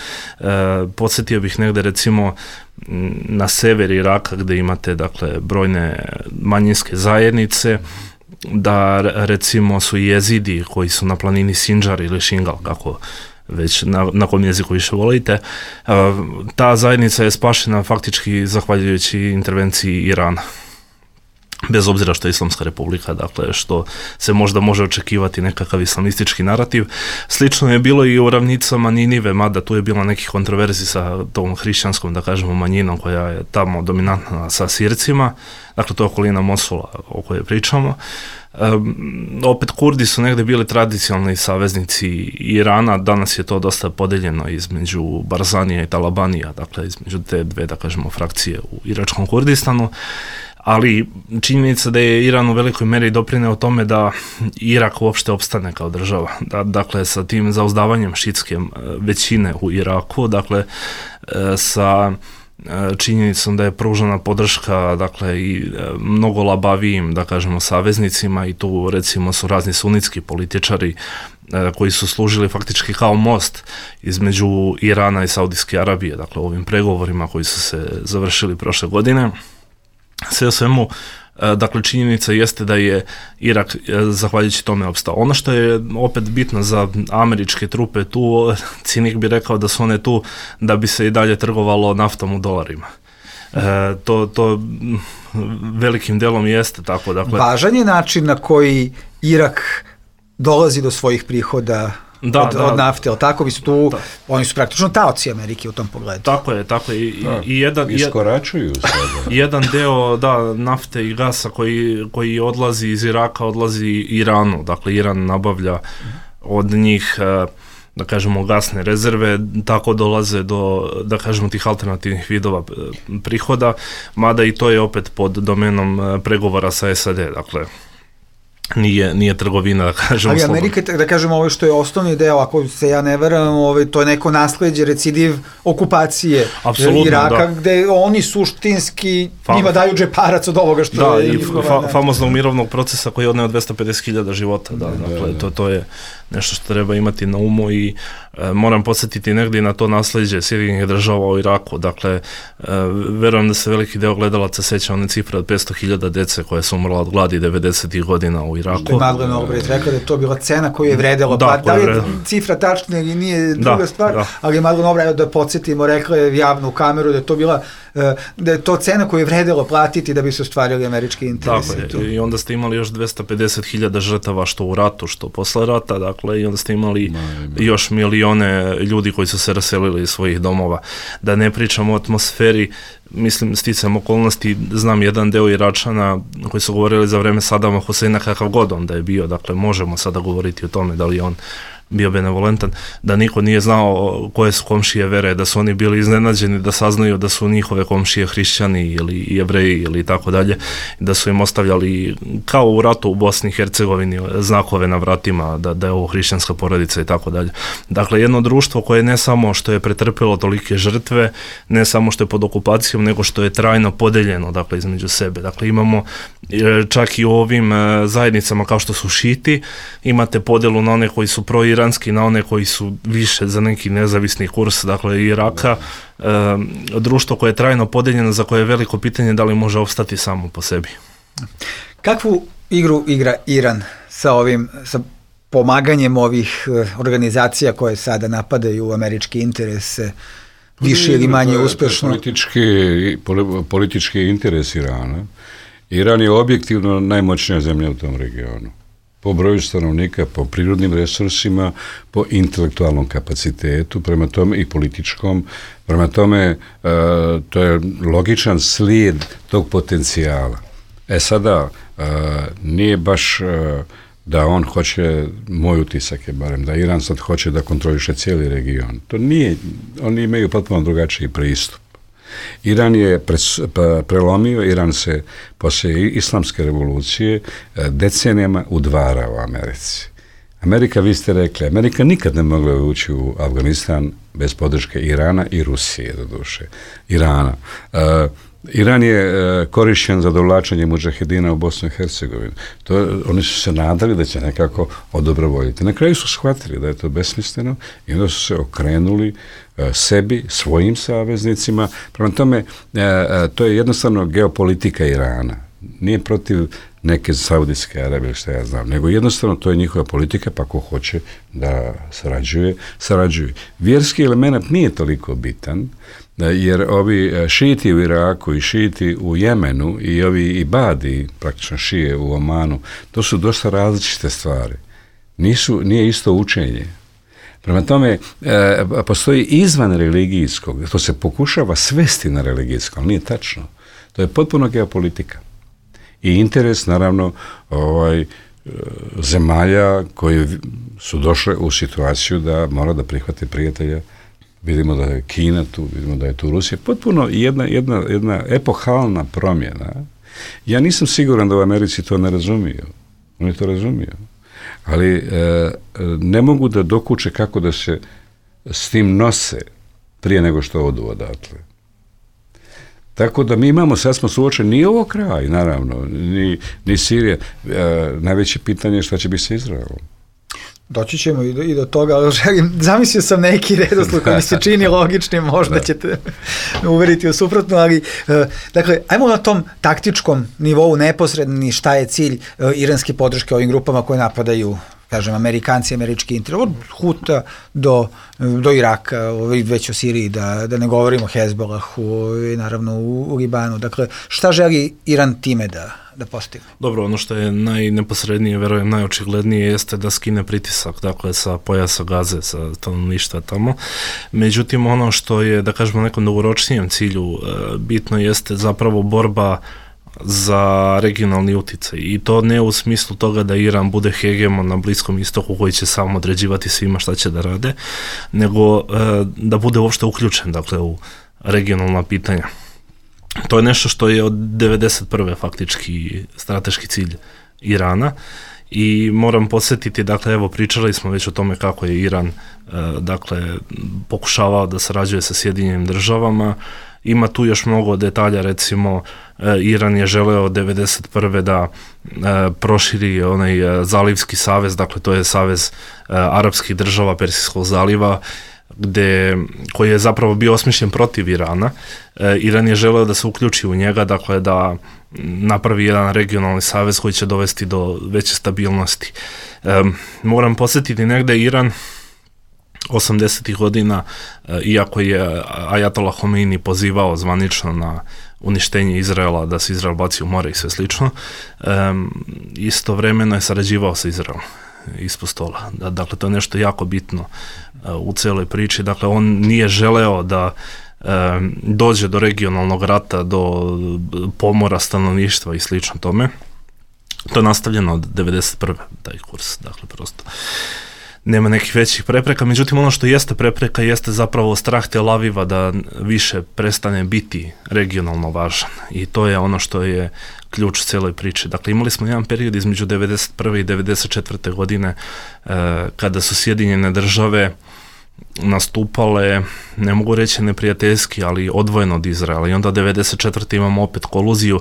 Podsjetio bih negde, recimo, na sever Iraka gde imate, dakle, brojne manjinske zajednice, da recimo su jezidi koji su na planini Sinjar ili Šingal, kako već na kom jeziku više volite, ta zajednica je spašena faktički zahvaljujući intervenciji Irana. Bez obzira što je Islamska republika, dakle, što se možda može očekivati nekakav islamistički narativ. Slično je bilo i u ravnicama Ninive, mada tu je bilo nekih kontroverzi sa tom hrišćanskom, da kažemo, manjinom koja je tamo dominantna sa Sircima, dakle to je okolina Mosula o kojoj pričamo. Opet Kurdi su negdje bili tradicionalni saveznici Irana, danas je to dosta podeljeno između Barzanija i Talabanija, dakle između te dve, da kažemo, frakcije u iračkom Kurdistanu, ali činjenica da je Iran u velikoj meri doprineo tome da Irak uopšte opstane kao država. Dakle, sa tim zauzdavanjem šitske većine u Iraku, dakle, sa činjenicom da je pružena podrška, dakle, i mnogo labavijim, da kažemo, saveznicima, i tu recimo su razni sunitski političari koji su služili faktički kao most između Irana i Saudijske Arabije, dakle, u ovim pregovorima koji su se završili prošle godine. Sve o svemu, dakle, činjenica jeste da je Irak zahvaljujući tome opstao. Ono što je opet bitno za američke trupe tu, cinik bi rekao da su one tu da bi se i dalje trgovalo naftom u dolarima. To velikim delom jeste tako. Dakle, važan je način na koji Irak dolazi do svojih prihoda od nafte, ali tako bi su tu, oni su praktično taoci Amerike u tom pogledu. Tako je. Iskoračuju sada. Jedan deo nafte i gasa koji odlazi iz Iraka, odlazi Iranu. Dakle, Iran nabavlja od njih, da kažemo, gasne rezerve, tako dolaze do, da kažemo, tih alternativnih vidova prihoda, mada i to je opet pod domenom pregovora sa SAD, dakle, nije trgovina, da kažemo. Ali Amerika, da kažemo, ovo što je osnovni deo, ako se ja ne veram, to je neko nasleđe, recidiv okupacije Iraka, gde oni suštinski njima daju džeparac od ovoga što je... Famoznog mirovnog procesa koji je odneo 250.000 života. Dakle, to je nešto što treba imati na umu i moram podsjetiti negdje na to nasleđe Sjedinjenih Država u Iraku. Dakle, verujem da se veliki deo gledalaca seća one cifre od 500.000 dece koje su umrla od gladi 90. godina u Iraku. Što je Madeleine Albright rekla da je to bila cena koju je vredela. Da li je cifra tačna ili nije druga stvar, ali je Madeleine Albright, da podsjetimo, rekla je javno u kameru da je to bila da je to cena koju je vredelo platiti da bi se ostvarili američki interesi. Tako je, i onda ste imali još 250.000 žrtava što u ratu, što posle rata, dakle, i onda ste imali još milione ljudi koji su se raselili iz svojih domova. Da ne pričamo o atmosferi, mislim, sticam okolnosti, znam jedan deo Iračana koji su govorili za vreme Sadama Huseina kakav god on da je bio, dakle, možemo sada govoriti o tome da li je on bio benevolentan, da niko nije znao koje su komšije vere, da su oni bili iznenađeni da saznaju da su njihove komšije hrišćani ili jevreji ili tako dalje, da su im ostavljali kao u ratu u Bosni i Hercegovini znakove na vratima da je ovo hrišćanska porodica i tako dalje. Dakle, jedno društvo koje ne samo što je pretrpilo tolike žrtve, ne samo što je pod okupacijom, nego što je trajno podeljeno, dakle, između sebe. Dakle, imamo čak i u ovim zajednicama kao što su šiti, imate podelu na one koji su proiranski, na one koji su više za neki nezavisni kurs, dakle, Iraka, društvo koje je trajno podeljeno, za koje je veliko pitanje da li može opstati samo po sebi. Kakvu igru igra Iran sa pomaganjem ovih organizacija koje sada napadaju američke interese, više ili manje uspešno? Politički interes Irana. Iran je objektivno najmoćnija zemlja u tom regionu. Po broju stanovnika, po prirodnim resursima, po intelektualnom kapacitetu, prema tome i političkom, prema tome to je logičan slijed tog potencijala. Sada, nije baš da on hoće, moj utisak je barem, da Iran sad hoće da kontroliše cijeli region. To nije, oni imaju potpuno drugačiji pristup. Iran je prelomio, Iran se poslije islamske revolucije decenijama udvarao u Americi. Amerika, vi ste rekli, Amerika nikad ne mogla ući u Afganistan bez podrške Irana i Rusije, doduše. Irana. Iran je korišćen za dovlačenje mudžahedina u Bosnu i Hercegovinu. Oni su se nadali da će nekako odobrovoljiti. Na kraju su shvatili da je to besmisleno i onda su se okrenuli sebi, svojim saveznicima. Prema tome, to je jednostavno geopolitika Irana. Nije protiv neke Saudijske Arabije, što ja znam, nego jednostavno to je njihova politika, pa ko hoće da sarađuje. Vjerski element nije toliko bitan, jer ovi šiti u Iraku i šiti u Jemenu i ovi ibadi, praktično šije u Omanu, to su dosta različite stvari. Nije isto učenje. Prema tome, postoji izvan religijskog, to se pokušava svesti na religijsko, ali nije tačno. To je potpuno geopolitika. i interes naravno zemalja koji su došle u situaciju da mora da prihvate prijatelja. Vidimo da je Kina tu, vidimo da je tu Rusija. Potpuno jedna epohalna promjena. Ja nisam siguran da u Americi to ne razumiju. Oni to razumiju. Ali ne mogu da dokuče kako da se s tim nose prije nego što odu odatle. Tako da mi imamo, sad smo suočeni, nije ovo kraj, naravno, ni Sirija. Najveće pitanje je šta će biti sa Izraelom. Doći ćemo i do toga, ali zamislio sam neki redosled koji mi se čini logičnim, možda ćete uveriti u suprotno, ali dakle, ajmo na tom taktičkom nivou neposredni šta je cilj iranske podrške ovim grupama koje napadaju, kažem, Amerikanci, američki interes, od Huta do Iraka, već o Siriji, da ne govorimo o Hezbollahu, naravno u Libanu. Dakle, šta želi Iran time da postigne? Dobro, ono što je najneposrednije, verujem, najočiglednije jeste da skine pritisak, dakle, sa pojasa Gaze, sa stanovništva tamo. Međutim, ono što je, da kažemo, nekom dugoročnijem cilju bitno jeste zapravo borba za regionalni uticaj i to ne u smislu toga da Iran bude hegemon na Bliskom istoku koji će samo određivati svima šta će da rade, nego da bude uopšte uključen, dakle, u regionalna pitanja. To je nešto što je od 1991. faktički strateški cilj Irana i moram podsjetiti, dakle, evo, pričali smo već o tome kako je Iran, dakle, pokušavao da sarađuje sa Sjedinjenim državama. Ima tu još mnogo detalja, recimo, Iran je želeo 1991. da proširi onaj Zalivski savez, dakle, to je savez arapskih država Persijskog zaliva, koji je zapravo bio osmišljen protiv Irana. Iran je želeo da se uključi u njega, dakle, da napravi jedan regionalni savez koji će dovesti do veće stabilnosti. Moram podsjetiti, negde Iran 80. godina, iako je Ajatollah Homeini pozivao zvanično na uništenje Izraela, da se Izrael baci u more i sve slično, istovremeno je sarađivao sa Izraelom ispod stola. Dakle, to je nešto jako bitno u celoj priči. Dakle, on nije želeo da dođe do regionalnog rata, do pomora stanovništva i slično tome. To je nastavljeno od 1991. taj kurs, dakle, prosto nema nekih većih prepreka, međutim ono što jeste prepreka jeste zapravo strah Tel Aviva da više prestane biti regionalno važan i to je ono što je ključ celoj priči. Dakle, imali smo jedan period između 1991. i 1994. godine kada su Sjedinjene države nastupale, ne mogu reći neprijateljski, ali odvojeno od Izraela i onda 1994. imamo opet koluziju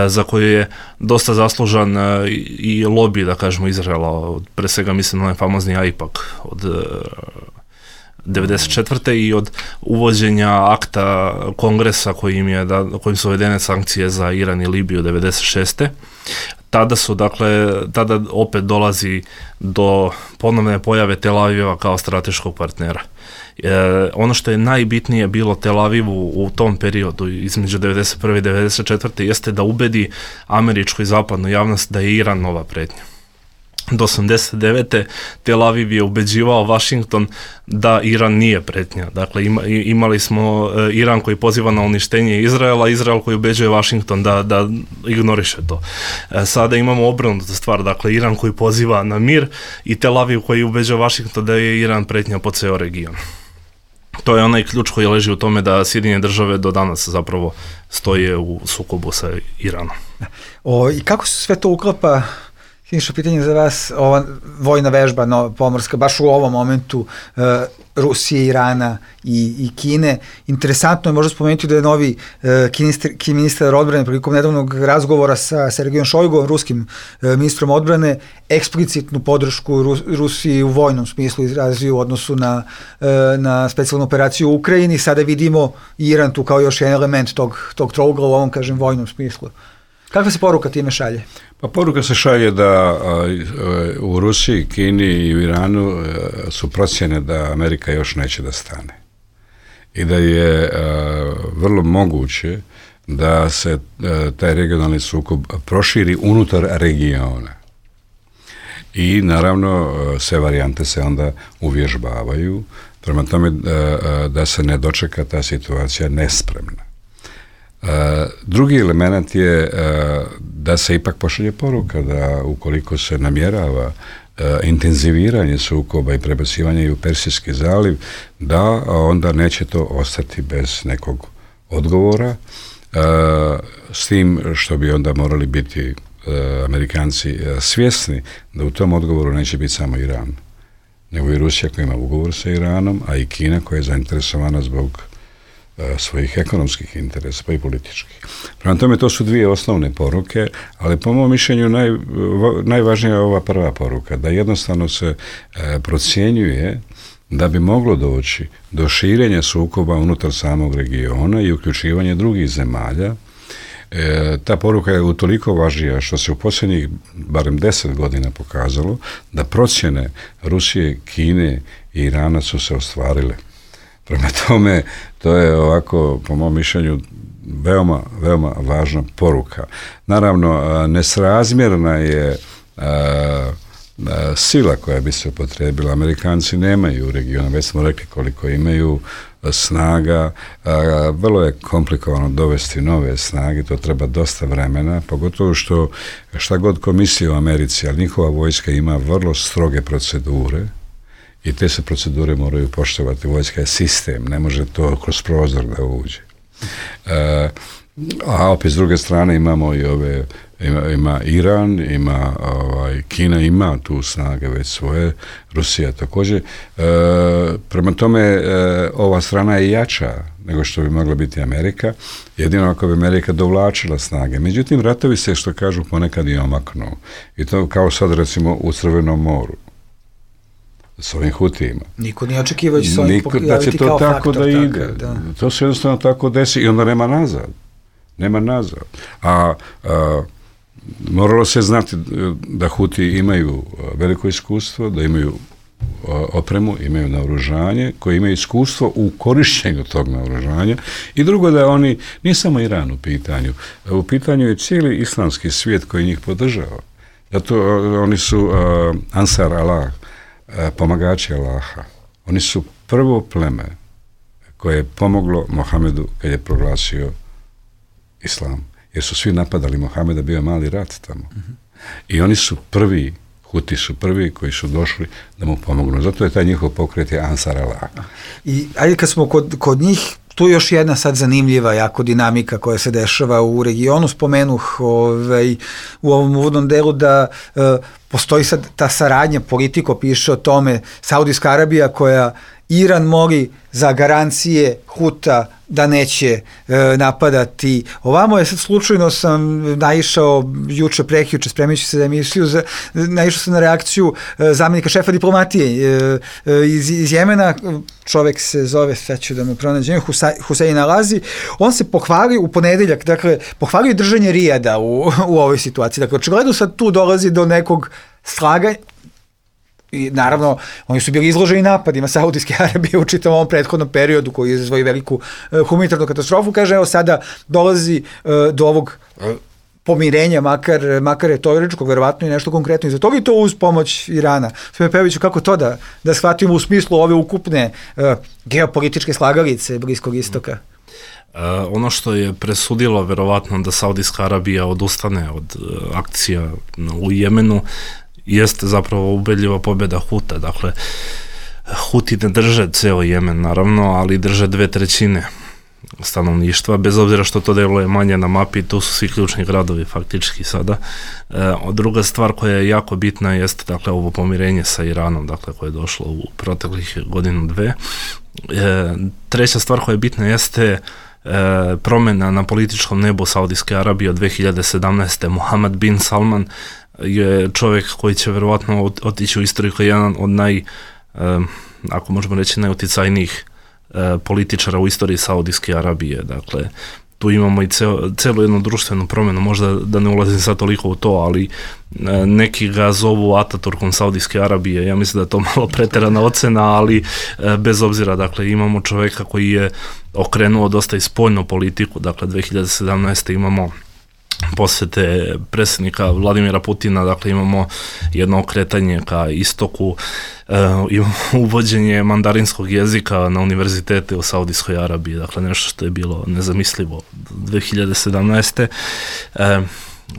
za koju je dosta zaslužan i lobby, da kažemo, Izraela, pre svega mislim na onaj famozni AIPAC od 1994. i od uvođenja akta kongresa kojim su uvedene sankcije za Iran i Libiju 1996. Tada opet dolazi do ponovne pojave Tel Aviva kao strateškog partnera. Ono što je najbitnije bilo Tel Avivu u tom periodu između 1991. i 1994. jeste da ubedi američku i zapadnu javnost da je Iran nova pretnja. Do 1989. Tel Aviv je ubeđivao Washington da Iran nije pretnja. Dakle, imali smo Iran koji poziva na uništenje Izraela, Izrael koji ubeđuje Washington da ignoriše to. Sada imamo obrnutu stvar, dakle, Iran koji poziva na mir i Tel Aviv koji ubeđuje Washington da je Iran pretnja po ceo region. To je onaj ključ koji leži u tome da Sjedinjene države do danas zapravo stoje u sukobu sa Iranom. I kako se sve to uklapa? Siniša, pitanje za vas, ova vojna vežba pomorska, baš u ovom momentu Rusije, Irana i Kine. Interesantno je možda spomenuti da je novi kineski ministar odbrane prilikom nedavnog razgovora sa Sergejom Šojguom, ruskim ministrom odbrane, eksplicitnu podršku Rusiji u vojnom smislu izrazio u odnosu na specijalnu operaciju u Ukrajini. Sada vidimo Iran tu kao još jedan element tog trougla u ovom, kažem, vojnom smislu. Kakva se poruka time šalje? Pa poruka se šalje da u Rusiji, Kini i u Iranu su procjene da Amerika još neće da stane. I da je vrlo moguće da se taj regionalni sukob proširi unutar regiona. I naravno sve varijante se onda uvježbavaju, prema tome da se ne dočeka ta situacija nespremna. Drugi element je da se ipak pošalje poruka da ukoliko se namjerava intenziviranje sukoba i prebacivanje u Persijski zaliv, da onda neće to ostati bez nekog odgovora, s tim što bi onda morali biti Amerikanci svjesni da u tom odgovoru neće biti samo Iran, nego i Rusija koja ima ugovor sa Iranom, a i Kina koja je zainteresovana zbog svojih ekonomskih interesa, pa i političkih. Prema tome, to su dvije osnovne poruke, ali po mom mišljenju najvažnija je ova prva poruka, da jednostavno se procjenjuje da bi moglo doći do širenja sukoba unutar samog regiona i uključivanja drugih zemalja. Ta poruka je utoliko važnija što se u posljednjih barem 10 godina pokazalo da procjene Rusije, Kine i Irana su se ostvarile. Prema tome, to je ovako, po mom mišljenju, veoma, veoma važna poruka. Naravno, nesrazmjerna je sila koja bi se upotrijebila. Amerikanci nemaju u regionu, već smo rekli koliko imaju snaga, vrlo je komplikovano dovesti nove snage, to treba dosta vremena, pogotovo što šta god komisija u Americi, ali njihova vojska ima vrlo stroge procedure i te se procedure moraju poštovati. Vojska je sistem, ne može to kroz prozor da uđe. A opet s druge strane imamo i ima Iran, Kina ima tu snage već svoje, Rusija također. Prema tome, ova strana je jača nego što bi mogla biti Amerika, jedino ako bi Amerika dovlačila snage. Međutim, ratovi se, što kažu, ponekad i omaknu. I to kao sad, recimo, u Crvenom moru. S ovim Hutijima. Niko nije očekivao da će se ovim pojaviti kao faktor. Da ide. Da. To se jednostavno tako desi i onda nema nazad. Nema nazad. A moralo se znati da Huti imaju veliko iskustvo, da imaju opremu, imaju naoružanje, koji imaju iskustvo u korištenju tog naoružanja i drugo da oni, nije samo Iran u pitanju je cijeli islamski svijet koji njih podržava. Zato oni su Ansar Allah, pomagači Allaha. Oni su prvo pleme koje je pomoglo Mohamedu kad je proglasio islam. Jer su svi napadali Mohameda, bio je mali rat tamo. I oni su prvi, Huti su prvi koji su došli da mu pomognu. Zato je taj njihov pokret je Ansar Allah. I ajde kad smo kod njih, tu je još jedna sad zanimljiva jako dinamika koja se dešava u regionu. Spomenuh u ovom uvodnom delu da postoji sad ta saradnja, Politico piše o tome, Saudijska Arabija koja Iran moli za garancije Huta da neće napadati. Ovamo je sad slučajno sam naišao juče, prekjuče, spremići se za emisiju, naišao sam na reakciju zamjenika šefa diplomatije iz Jemena, čovek se zove, sad ću da mu pronađem, Husein Alazi, on se pohvalio u ponedeljak, dakle, pohvalio držanje Rijada u ovoj situaciji. Dakle, očigledno sad tu dolazi do nekog slaganja. I naravno, oni su bili izloženi napadima Saudijske Arabije u čitavom ovom prethodnom periodu koji je izazvao veliku humanitarnu katastrofu. Kaže, evo sada dolazi do ovog pomirenja, makar je teoretičko, verovatno i nešto konkretno iza toga i to uz pomoć Irana. Sve Pejoviću, kako to da shvatimo u smislu ove ukupne geopolitičke slagalice Bliskog istoka? Ono što je presudilo verovatno da Saudijska Arabija odustane od akcija u Jemenu jeste zapravo ubedljiva pobjeda Huta. Dakle, Huti ne drže ceo Jemen, naravno, ali drže 2/3 stanovništva, bez obzira što to deluje manje na mapi, tu su svi ključni gradovi faktički sada. Druga stvar koja je jako bitna jeste, dakle, ovo pomirenje sa Iranom, dakle, koje je došlo u proteklih godinu, dve. Treća stvar koja je bitna jeste promjena na političkom nebu Saudijske Arabije od 2017. Mohammed bin Salman je čovjek koji će verovatno otići u istoriju kao jedan od ako možemo reći, najuticajnijih političara u istoriji Saudijske Arabije. Dakle, tu imamo i celu jednu društvenu promjenu, možda da ne ulazim sad toliko u to, ali neki ga zovu Ataturkom Saudijske Arabije. Ja mislim da je to malo preterana ocena, ali bez obzira, dakle, imamo čovjeka koji je okrenuo dosta i spoljnu politiku. Dakle, 2017. imamo posjete predsjednika Vladimira Putina, dakle imamo jedno okretanje ka istoku, imamo uvođenje mandarinskog jezika na univerzitete u Saudijskoj Arabiji, dakle nešto što je bilo nezamislivo 2017.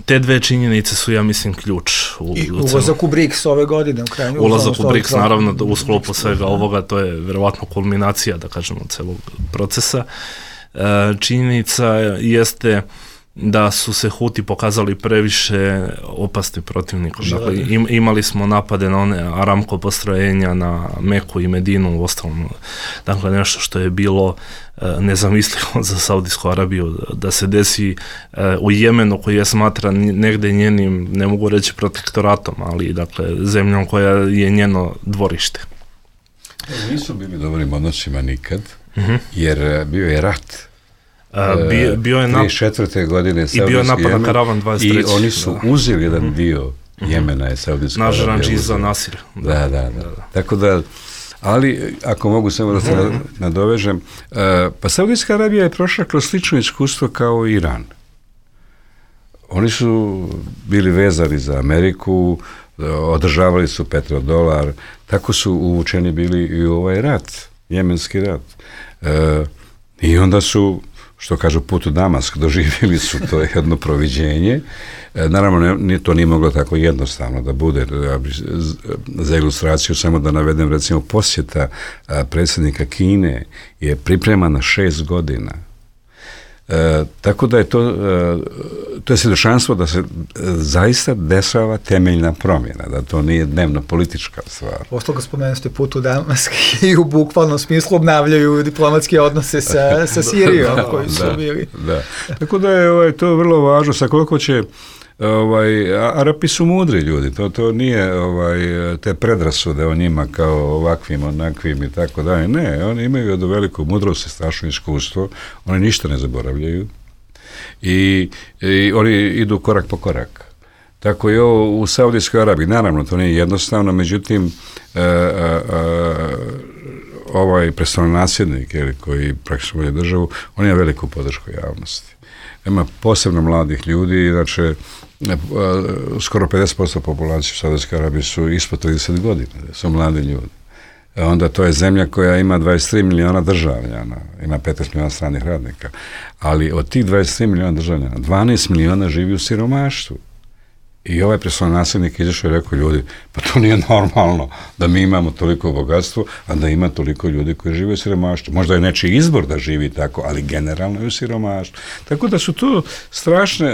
Te dve činjenice su, ja mislim, ključ. I ulazak u BRICS ove godine u krajnju. Ulazak u BRICS, naravno, u sklopu svega ovoga, to je verovatno kulminacija, da kažemo, celog procesa. Činjenica jeste da su se Huti pokazali previše opasni protivnikom. Dakle, imali smo napade na one Aramco postrojenja na Meku i Medinu, u ostalom, dakle, nešto što je bilo nezamislivo za Saudijsku Arabiju da se desi u Jemenu, koji je smatran negde njenim, ne mogu reći protektoratom, ali dakle zemljom koja je njeno dvorište. Nisu bili dobrim odnosima nikad, jer bio je rat. Bio je 34. godine i bio je napad na Karavan 23. I oni su uzeli jedan dio Jemena je Saudijska Arabija. Naš Ranđiza Nasir. Da. Tako da, ali ako mogu samo da se nadovežem, pa Saudijska Arabija je prošla kroz slično iskustvo kao Iran. Oni su bili vezani za Ameriku, održavali su petrodolar, tako su uvučeni bili i u ovaj rat, jemenski rat. I onda su, što kažu, put u Damask, doživjeli su to jedno proviđenje. Naravno, to nije moglo tako jednostavno da bude. Za ilustraciju samo da navedem, recimo, posjeta predsjednika Kine je pripremana 6 godina. Tako da je to je svjedočanstvo da se zaista dešava temeljna promjena, da to nije dnevno politička stvar. Ostalo spomenuli ste put u Damask i u bukvalnom smislu obnavljaju diplomatske odnose sa Sirijom koji su bili. Da. Tako da je to vrlo važno, sa koliko će Arapi su mudri ljudi, to nije te predrasude o njima kao ovakvim, onakvim i tako dalje. Ne, oni imaju od veliku mudrost i strašno iskustvo, oni ništa ne zaboravljaju i oni idu korak po korak. Tako i ovo u Saudijskoj Arabiji, naravno to nije jednostavno, međutim ovaj predstavnonasljednik koji praktično vodi državu, on ima veliku podršku javnosti. Ima posebno mladih ljudi, znači skoro 50% populacije u Saudijskoj Arabiji su ispod 30 godina, su mladi ljudi. Onda to je zemlja koja ima 23 miliona državljana, ima 15 miliona stranih radnika, ali od tih 23 miliona državljana, 12 miliona živi u siromaštvu. I ovaj predstavnonasljednik izašao i rekao, ljudi, pa to nije normalno da mi imamo toliko bogatstvo, a da ima toliko ljudi koji žive u siromaštvu. Možda je nečiji izbor da živi tako, ali generalno je u siromaštvu. Tako da su to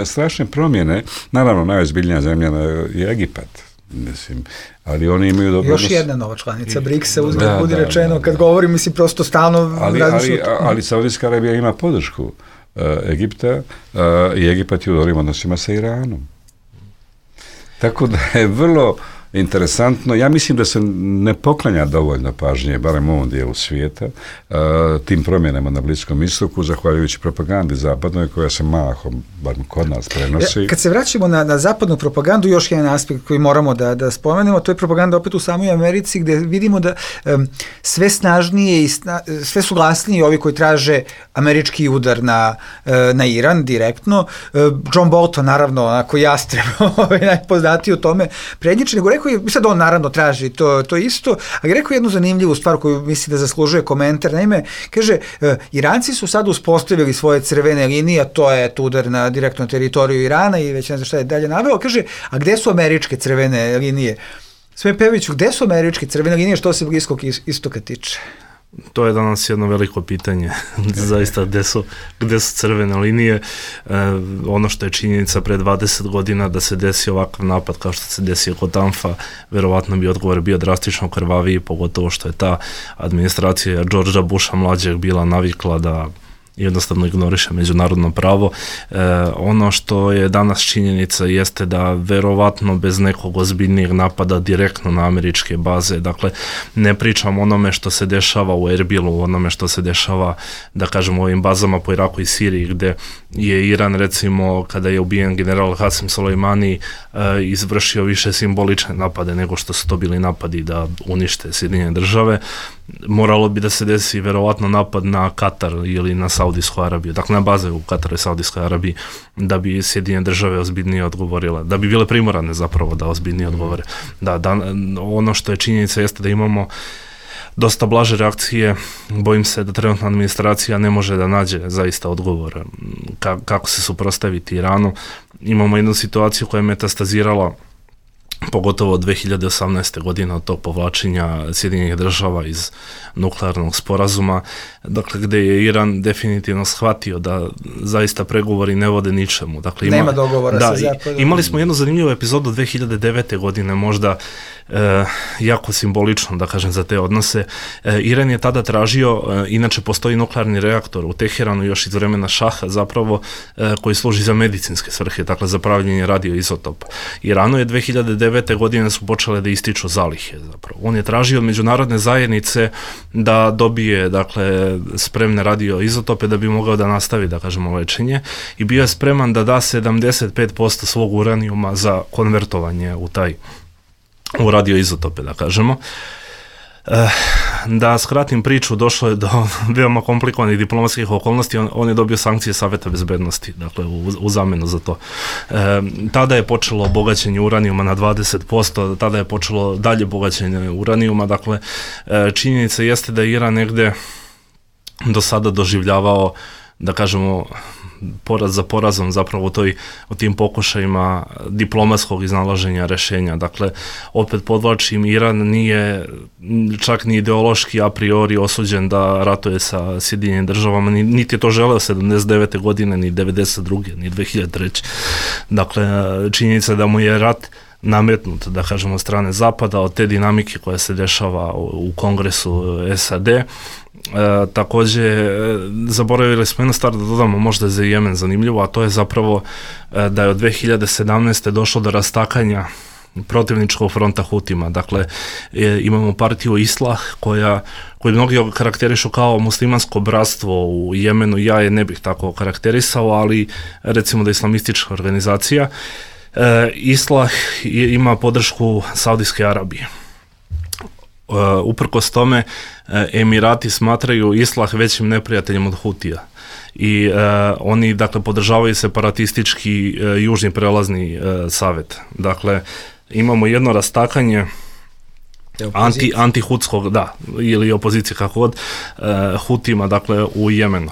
strašne promjene. Naravno, najozbiljnija zemlja je Egipat. Mislim, ali oni imaju dobro... Još jedna nova članica BRICS-a, uzme budi rečeno, kad govorim, mislim, prosto stalno... Ali Saudijska Arabija ima podršku Egipta i Egipat je u dobrim odnosima sa Iranom. Tako da je vrlo interesantno. Ja mislim da se ne poklanja dovoljno pažnje, barem u ovom dijelu svijeta, tim promjenama na Bliskom istoku, zahvaljujući propagandi zapadnoj, koja se mahom, bar kod nas, prenosi. Kad se vraćamo na zapadnu propagandu, još jedan aspekt koji moramo da spomenemo, to je propaganda opet u samoj Americi, gdje vidimo da sve snažnije i sve su glasniji ovi koji traže američki udar na Iran direktno. John Bolton, naravno, onako jastreb, najpoznatiji o tome prednjiče, nego rekao je, sad on naravno traži to isto, ali rekao je jednu zanimljivu stvar koju misli da zaslužuje komentar. Naime, kaže, Iranci su sad uspostavili svoje crvene linije, a to je udar na direktno teritoriju Irana i već ne znam šta je dalje naveo. Kaže, a gde su američke crvene linije? Sve Peviću, gde su američke crvene linije što se Bliskog istoka tiče? To je danas jedno veliko pitanje, zaista gde su crvene linije. Ono što je činjenica pre 20 godina da se desi ovakav napad kao što se desio kod Tanfa, verovatno bi odgovor bio drastično krvaviji, pogotovo što je ta administracija Georgea Busha mlađeg bila navikla da jednostavno ignoriše međunarodno pravo. Ono što je danas činjenica jeste da verovatno bez nekog ozbiljnijeg napada direktno na američke baze, dakle ne pričam o onome što se dešava u Erbilu, onome što se dešava, da kažemo, u ovim bazama po Iraku i Siriji, gde je Iran, recimo, kada je ubijen general Hasim Soleimani, izvršio više simbolične napade nego što su to bili napadi da unište Sjedinjene države. Moralo bi da se desi verovatno napad na Katar ili na Saudijsku Arabiju, dakle na baze u Kataru i Saudijskoj Arabiji, da bi Sjedinjene Države ozbiljnije odgovorile, da bi bile primorane zapravo da ozbiljnije odgovore. Da, ono što je činjenica jeste da imamo dosta blaže reakcije. Bojim se da trenutna administracija ne može da nađe zaista odgovor kako se suprotstaviti Iranu. Imamo jednu situaciju koja je metastazirala pogotovo od 2018. godine od tog povlačenja Sjedinjenih Država iz nuklearnog sporazuma, dakle gdje je Iran definitivno shvatio da zaista pregovori ne vode ničemu. Dakle, nema dogovora sa Zapadom. Imali smo jednu zanimljivu epizodu 2009. godine, možda jako simbolično, da kažem, za te odnose. Iran je tada tražio, inače postoji nuklearni reaktor u Teheranu još iz vremena Šaha zapravo, koji služi za medicinske svrhe, dakle za pravljenje radioizotopa. Iranu je 2009. godine su počele da ističu zalihe zapravo. On je tražio od međunarodne zajednice da dobije, dakle, spremne radioizotope da bi mogao da nastavi, da kažemo, lečenje, i bio je spreman da da 75% svog uranijuma za konvertovanje u radioizotope, da kažemo. Da skratim priču, došlo je do veoma komplikovanih diplomatskih okolnosti, on je dobio sankcije Saveta bezbednosti, dakle u zamenu za to. Tada je počelo bogaćenje uranijuma na 20%, tada je počelo dalje bogaćenje uranijuma, dakle činjenica jeste da je Iran negde do sada doživljavao, da kažemo, poraz za porazom zapravo u tim pokušajima diplomatskog iznalaženja rešenja. Dakle, opet podvlačim, Iran nije čak ni ideološki a priori osuđen da ratuje sa Sjedinjenim Državama, niti je to želeo 79. godine, ni 92. ni 2003. Dakle, činjenica da mu je rat nametnut, da kažemo, od strane Zapada, od te dinamike koja se dešava u Kongresu SAD. Također, zaboravili smo jednu stvar da dodamo, možda za Jemen zanimljivo, a to je zapravo da je od 2017. došlo do rastakanja protivničkog fronta Hutima. Dakle, imamo partiju Islah koju mnogi karakterišu kao muslimansko bratstvo u Jemenu. Ja je ne bih tako karakterisao, ali recimo da je islamistička organizacija. Islah ima podršku Saudijske Arabije. Uprkos tome, Emirati smatraju Islah većim neprijateljem od Hutija i oni, dakle, podržavaju separatistički južni prelazni savet. Dakle, imamo jedno rastakanje antihutskog, da, ili opozicije, kako god, Hutima, dakle, u Jemenu.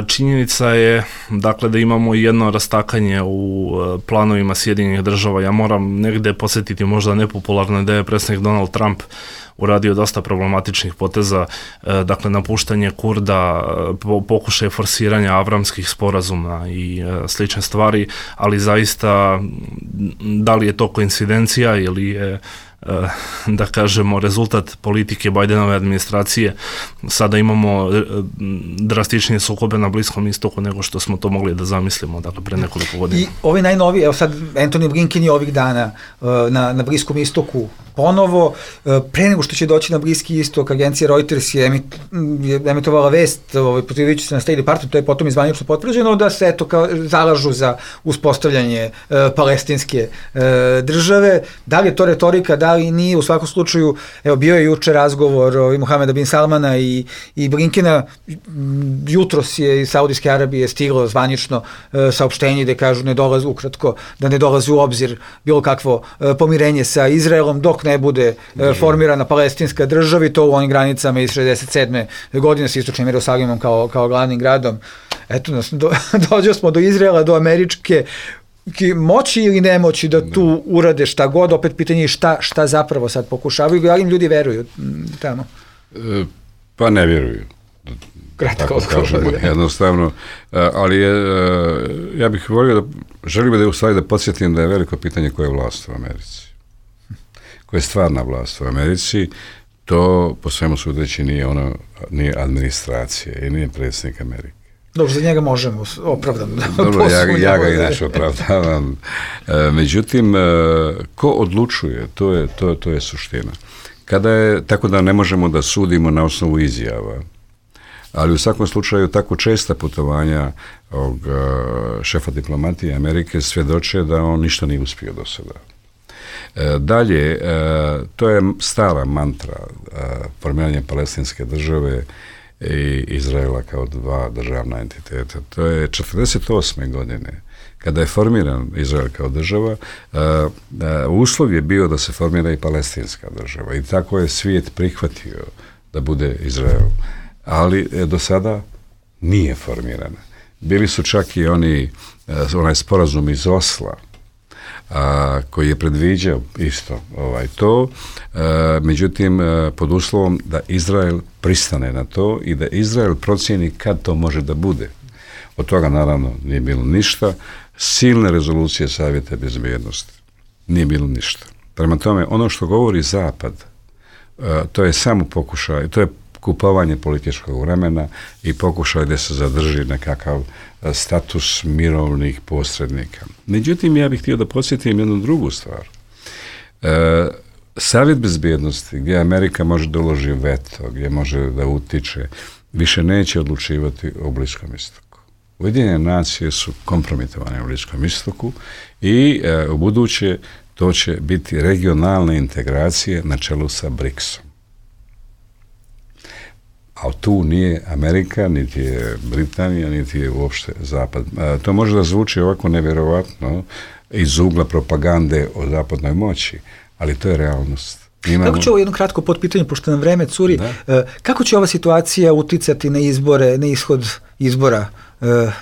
Činjenica je, dakle, da imamo jedno rastakanje u planovima Sjedinjenih Država. Ja moram negde posjetiti možda nepopularno da je predsjednik Donald Trump uradio dosta problematičnih poteza, dakle, napuštanje Kurda, pokušaj forsiranja avramskih sporazuma i slične stvari, ali zaista, da li je to koincidencija ili je, da kažemo, rezultat politike Bidenove administracije. Sada imamo drastičnije sukobe na Bliskom istoku nego što smo to mogli da zamislimo, dakle, pre nekoliko godina. I ovi najnoviji, evo sad Antony Blinken je ovih dana na Bliskom istoku ponovo, pre nego što će doći na Bliski istok, agencija Reuters je emitovala vest, pozivajući se na State Department, to je potom izvanično potvrđeno, da se zalažu za uspostavljanje palestinske države. Da li je to retorika, da li nije? U svakom slučaju, evo, bio je juče razgovor Mohameda bin Salmana i Blinkena, jutros je iz Saudijske Arabije stiglo zvanično saopštenje gde kažu ukratko da ne dolazi u obzir bilo kakvo pomirenje sa Izraelom dok ne bude formirana palestinska država, i to u onim granicama iz 67. godine sa istočnim Jerusalimom kao glavnim gradom. Eto, dođo smo do Izraela, do američke moći ili nemoći da tu urade šta god, opet pitanje je šta zapravo sad pokušavaju, ali im ljudi veruju tamo? Pa ne vjeruju. Kratko kažemo, jednostavno, ali ja bih volio želim da u stvari da podsjetim da je veliko pitanje koje je vlast u Americi. Koja je stvarna vlast u Americi, to po svemu sudeći nije administracija i nije predsjednik Amerike. Dobro, za njega možemo opravdano. Dobro, ja ga inače opravdavam. Međutim, ko odlučuje, to je suština. Tako da ne možemo da sudimo na osnovu izjava, ali u svakom slučaju tako česta putovanja šefa diplomatije Amerike svjedoče da on ništa nije uspio do sada. Dalje, to je stara mantra formiranja palestinske države i Izraela kao dva državna entiteta. To je 1948. godine, kada je formiran Izrael kao država, uslov je bio da se formira i palestinska država i tako je svijet prihvatio da bude Izrael. Ali do sada nije formirana. Bili su čak i onaj sporazum iz Osla, koji je predviđao isto to, međutim pod uslovom da Izrael pristane na to i da Izrael procijeni kad to može da bude. Od toga naravno nije bilo ništa. Silne rezolucije Savjeta bezbjednosti. Nije bilo ništa. Prema tome, ono što govori Zapad, to je samo pokušaj, to je kupovanje političkog vremena i pokušaj da se zadrži nekakav status mirovnih posrednika. Međutim, ja bih htio da podsjetim jednu drugu stvar. Savjet bezbjednosti, gdje Amerika može da uloži veto, gdje može da utiče, više neće odlučivati o Bliskom istoku. Ujedinjene nacije su kompromitovane u Bliskom istoku i u buduće to će biti regionalne integracije na čelu sa BRICS-om. A tu nije Amerika, niti je Britanija, niti je uopšte Zapad. To može da zvuči ovako nevjerovatno iz ugla propagande o zapadnoj moći, ali to je realnost. Kako će ovo jedno kratko potpitanje, pošto nam vreme curi, kako će ova situacija uticati na izbore, na ishod izbora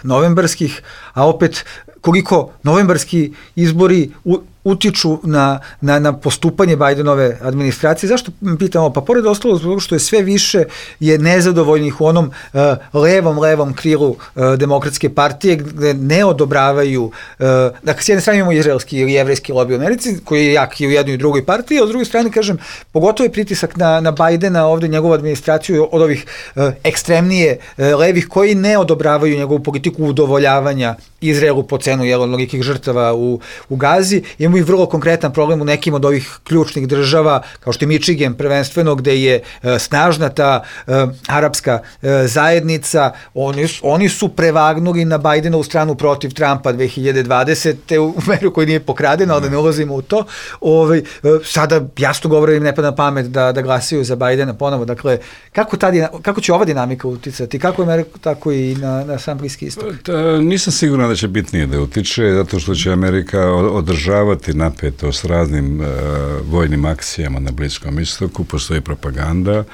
novembarskih, a opet koliko novembarski izbori utiču na postupanje Bidenove administracije? Zašto pitamo? Pa pored ostalo zbog što je sve više je nezadovoljnih u onom levom krilu demokratske partije gde ne odobravaju, dakle s jedne strane imamo izraelski ili jevrejski lobby u Americi koji je jak i u jednoj i drugoj partiji, a s druge strane kažem pogotovo je pritisak na Bidena ovdje njegovu administraciju od ovih ekstremnije levih koji ne odobravaju njegovu politiku udovoljavanja Izraelu po cenu mnogih žrtava u Gazi. Imamo i vrlo konkretan problem u nekim od ovih ključnih država, kao što je Michigan prvenstveno, gde je snažna ta arapska zajednica. Oni su prevagnuli na Bidenovu stranu protiv Trumpa 2020. u meru koji nije pokradena, ali da ne ulazimo u to. Sada jasno govore im ne pada na pamet da glasaju za Bidena ponovo. Dakle, kako će ova dinamika uticati? Kako Amerika, tako i na sam Bliski istok? Nisam siguran da će bitnije da utiče, zato što će Amerika održavati napetost raznim vojnim akcijama na Bliskom istoku, postoji propaganda.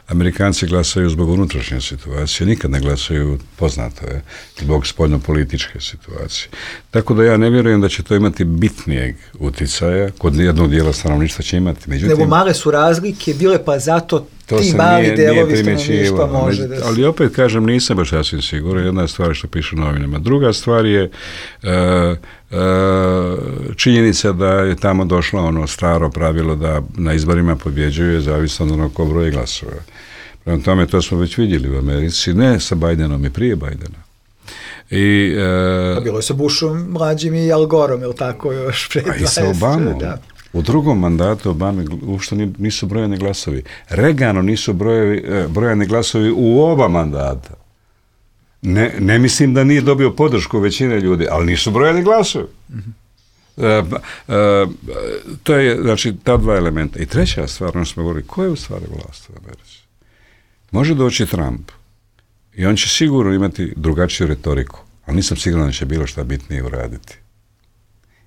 Amerikanci glasaju zbog unutrašnje situacije, nikad ne glasaju, poznato je, zbog spoljnopolitičke situacije. Tako da ja ne vjerujem da će to imati bitnijeg uticaja, kod jednog dijela stanovništva će imati. Međutim, nego male su razlike bile, pa zato ti mali delovi stanovništva može da se... Ali opet kažem, nisam baš sasvim siguran. Jedna stvar što piše u novinama. Druga stvar je činjenica da je tamo došlo ono staro pravilo da na izborima pobjeđuje zavisno od onog ko broji glasova. Prema tome, to smo već vidjeli u Americi, ne sa Bidenom i prije Bidena. Bilo je sa Bushom mlađim i Al Goreom, je li tako još pre 20? A i sa Obamom. Da. U drugom mandatu Obame uopšte nisu brojani glasovi. Reaganu nisu brojani glasovi u oba mandata. Ne mislim da nije dobio podršku većine ljudi, ali nisu brojani glasovi. To je, znači, ta dva elementa. I treća stvar, ono smo govorili, ko je u stvari vlast u Americi? Može doći Trump i on će sigurno imati drugačiju retoriku, ali nisam siguran da će bilo šta bitnije uraditi.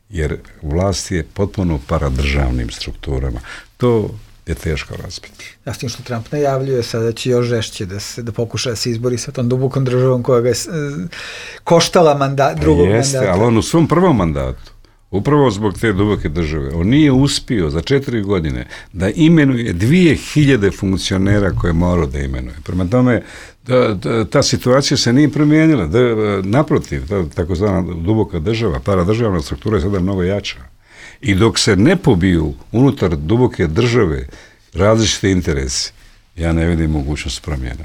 Jer vlast je potpuno paradržavnim strukturama. To je teško razbiti. Ja s tim što Trump najavljuje sada će još žešće da pokuša da se izbori sa tom dubokom državom koja ga je koštala drugog mandata. Jeste, ali on u svom prvom mandatu, upravo zbog te duboke države, on nije uspio za 4 godine da imenuje 2000 funkcionera koje morao da imenuje. Prema tome, ta situacija se nije promijenila. Naprotiv, takozvana duboka država, paradržavna struktura je sada mnogo jača. I dok se ne pobiju unutar duboke države različite interesi, ja ne vidim mogućnost promjena.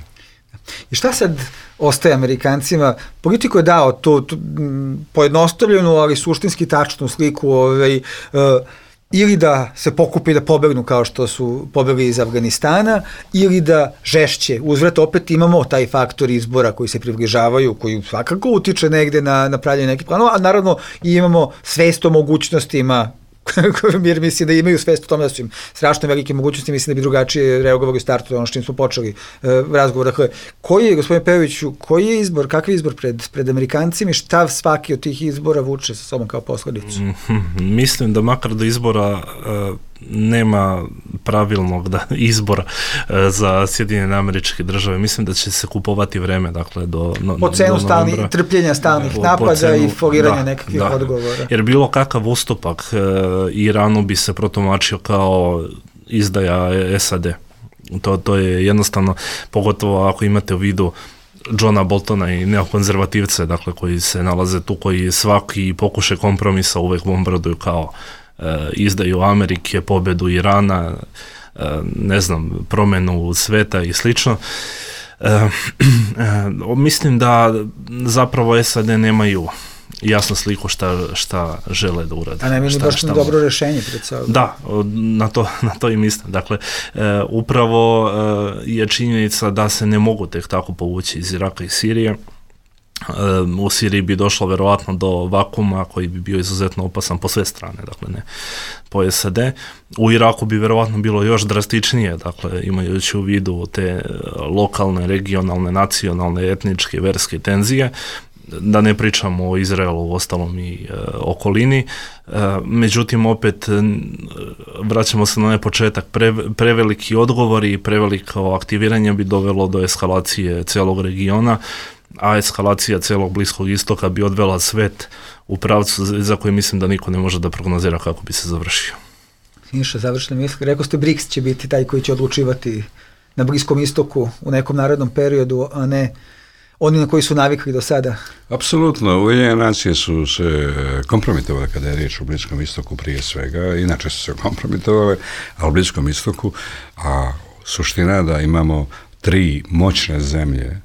I šta sad ostaje Amerikancima? Politiko je dao tu pojednostavljenu, ali suštinski tačnu sliku ili da se pokupi da pobegnu kao što su pobegli iz Afganistana, ili da žešće. Uzvrat opet imamo taj faktor izbora koji se približavaju, koji svakako utiče negde na pravljanje nekih planova, a naravno i imamo svest o mogućnostima jer mislim da imaju svest o tome da su im strašno velike mogućnosti, mislim da bi drugačije reagovali u startu, ono što im smo počeli razgovor. Dakle, koji je, gospodine Pejoviću, koji je izbor, kakav je izbor pred Amerikancima i šta svaki od tih izbora vuče sa sobom kao posledicu? Mislim da makar do izbora nema pravilnog izbora za Sjedinjene Američke Države. Mislim da će se kupovati vreme, dakle, po cenu trpljenja stalnih napada i foliranja nekakvih odgovora. Jer bilo kakav ustupak Iranu bi se protumačio kao izdaja SAD. To je jednostavno, pogotovo ako imate u vidu Johna Boltona i neokonzervativce, dakle, koji se nalaze tu, koji svaki pokušaj kompromisa uvek bombarduju kao izdaju Amerike, pobedu Irana, ne znam, promjenu sveta i slično. Mislim da zapravo SAD nemaju jasnu sliku šta žele da urade. A ne mi baš dobro rješenje pred sobom. Da, na to i mislim. Dakle, upravo je činjenica da se ne mogu tek tako povući iz Iraka i Sirije. U Siriji bi došlo verovatno do vakuma koji bi bio izuzetno opasan po sve strane, dakle ne po SAD. U Iraku bi verovatno bilo još drastičnije, dakle imajući u vidu te lokalne, regionalne, nacionalne, etničke, verske tenzije, da ne pričamo o Izraelu, ostalom i okolini. Međutim, opet vraćamo se na onaj početak, preveliki odgovori i preveliko aktiviranje bi dovelo do eskalacije celog regiona, a eskalacija celog Bliskog istoka bi odvela svet u pravcu za koji mislim da niko ne može da prognozira kako bi se završio. Siniša, završne misli. Rekao ste BRICS će biti taj koji će odlučivati na Bliskom istoku u nekom narednom periodu, a ne oni na koji su navikli do sada. Apsolutno. Ujedinjene nacije su se kompromitovale kada je riječ o Bliskom istoku prije svega, inače su se kompromitovale, a u Bliskom istoku, a suština da imamo 3 moćne zemlje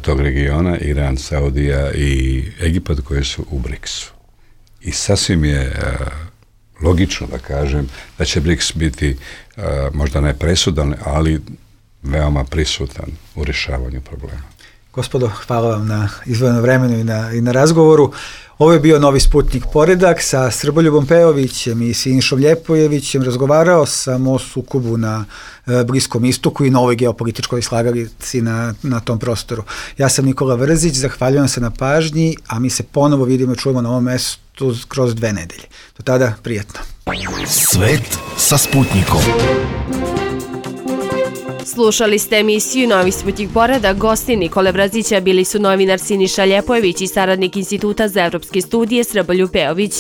tog regiona, Iran, Saudija i Egipat, koje su u BRICS-u. I sasvim je logično da kažem da će BRICS biti možda ne presudan, ali veoma prisutan u rješavanju problema. Gospodo, hvala vam na izdvojenom vremenu i na razgovoru. Ovo je bio Novi Sputnik Poredak sa Srboljubom Pejovićem i Sinišom Ljepojevićem. Razgovarao sam o sukobu na Bliskom istoku i novoj geopolitičkoj slagalici na tom prostoru. Ja sam Nikola Vrzić, zahvaljujem se na pažnji, a mi se ponovo vidimo i čujemo na ovom mestu kroz 2 nedelje. Do tada, prijatno. Svet sa Sputnikom. Slušali ste emisiju Novi Sputnik Poredak. Gosti Nikole Vrzića bili su novinar Siniša Ljepojević i saradnik Instituta za evropske studije Srboljub Pejović.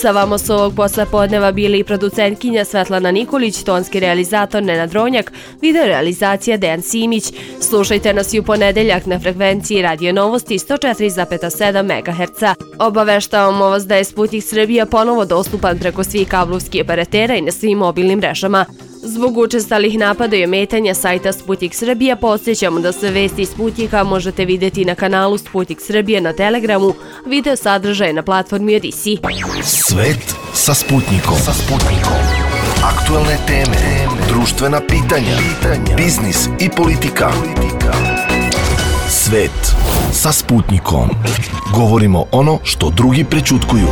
Sa vama su ovog poslepodneva bili i producentkinja Svetlana Nikolić, tonski realizator Nenad Ronjak, video realizacija Dejan Simić. Slušajte nas i u ponedeljak na frekvenciji Radio Novosti 104,7 MHz. Obaveštavamo vas da je Sputnik Srbija ponovo dostupan preko svih kablovskih operatera i na svim mobilnim mrežama. Zbog učestalih napada i ometanja sajta Sputnik Srbija, podsjećamo da sve vesti iz Sputnika možete vidjeti na kanalu Sputnik Srbija na Telegramu, video sadržaje na platformi Odisi. Svet sa Sputnikom. Aktualne teme, društvena pitanja, biznis i politika. Svet sa Sputnikom. Govorimo ono što drugi prećutkuju.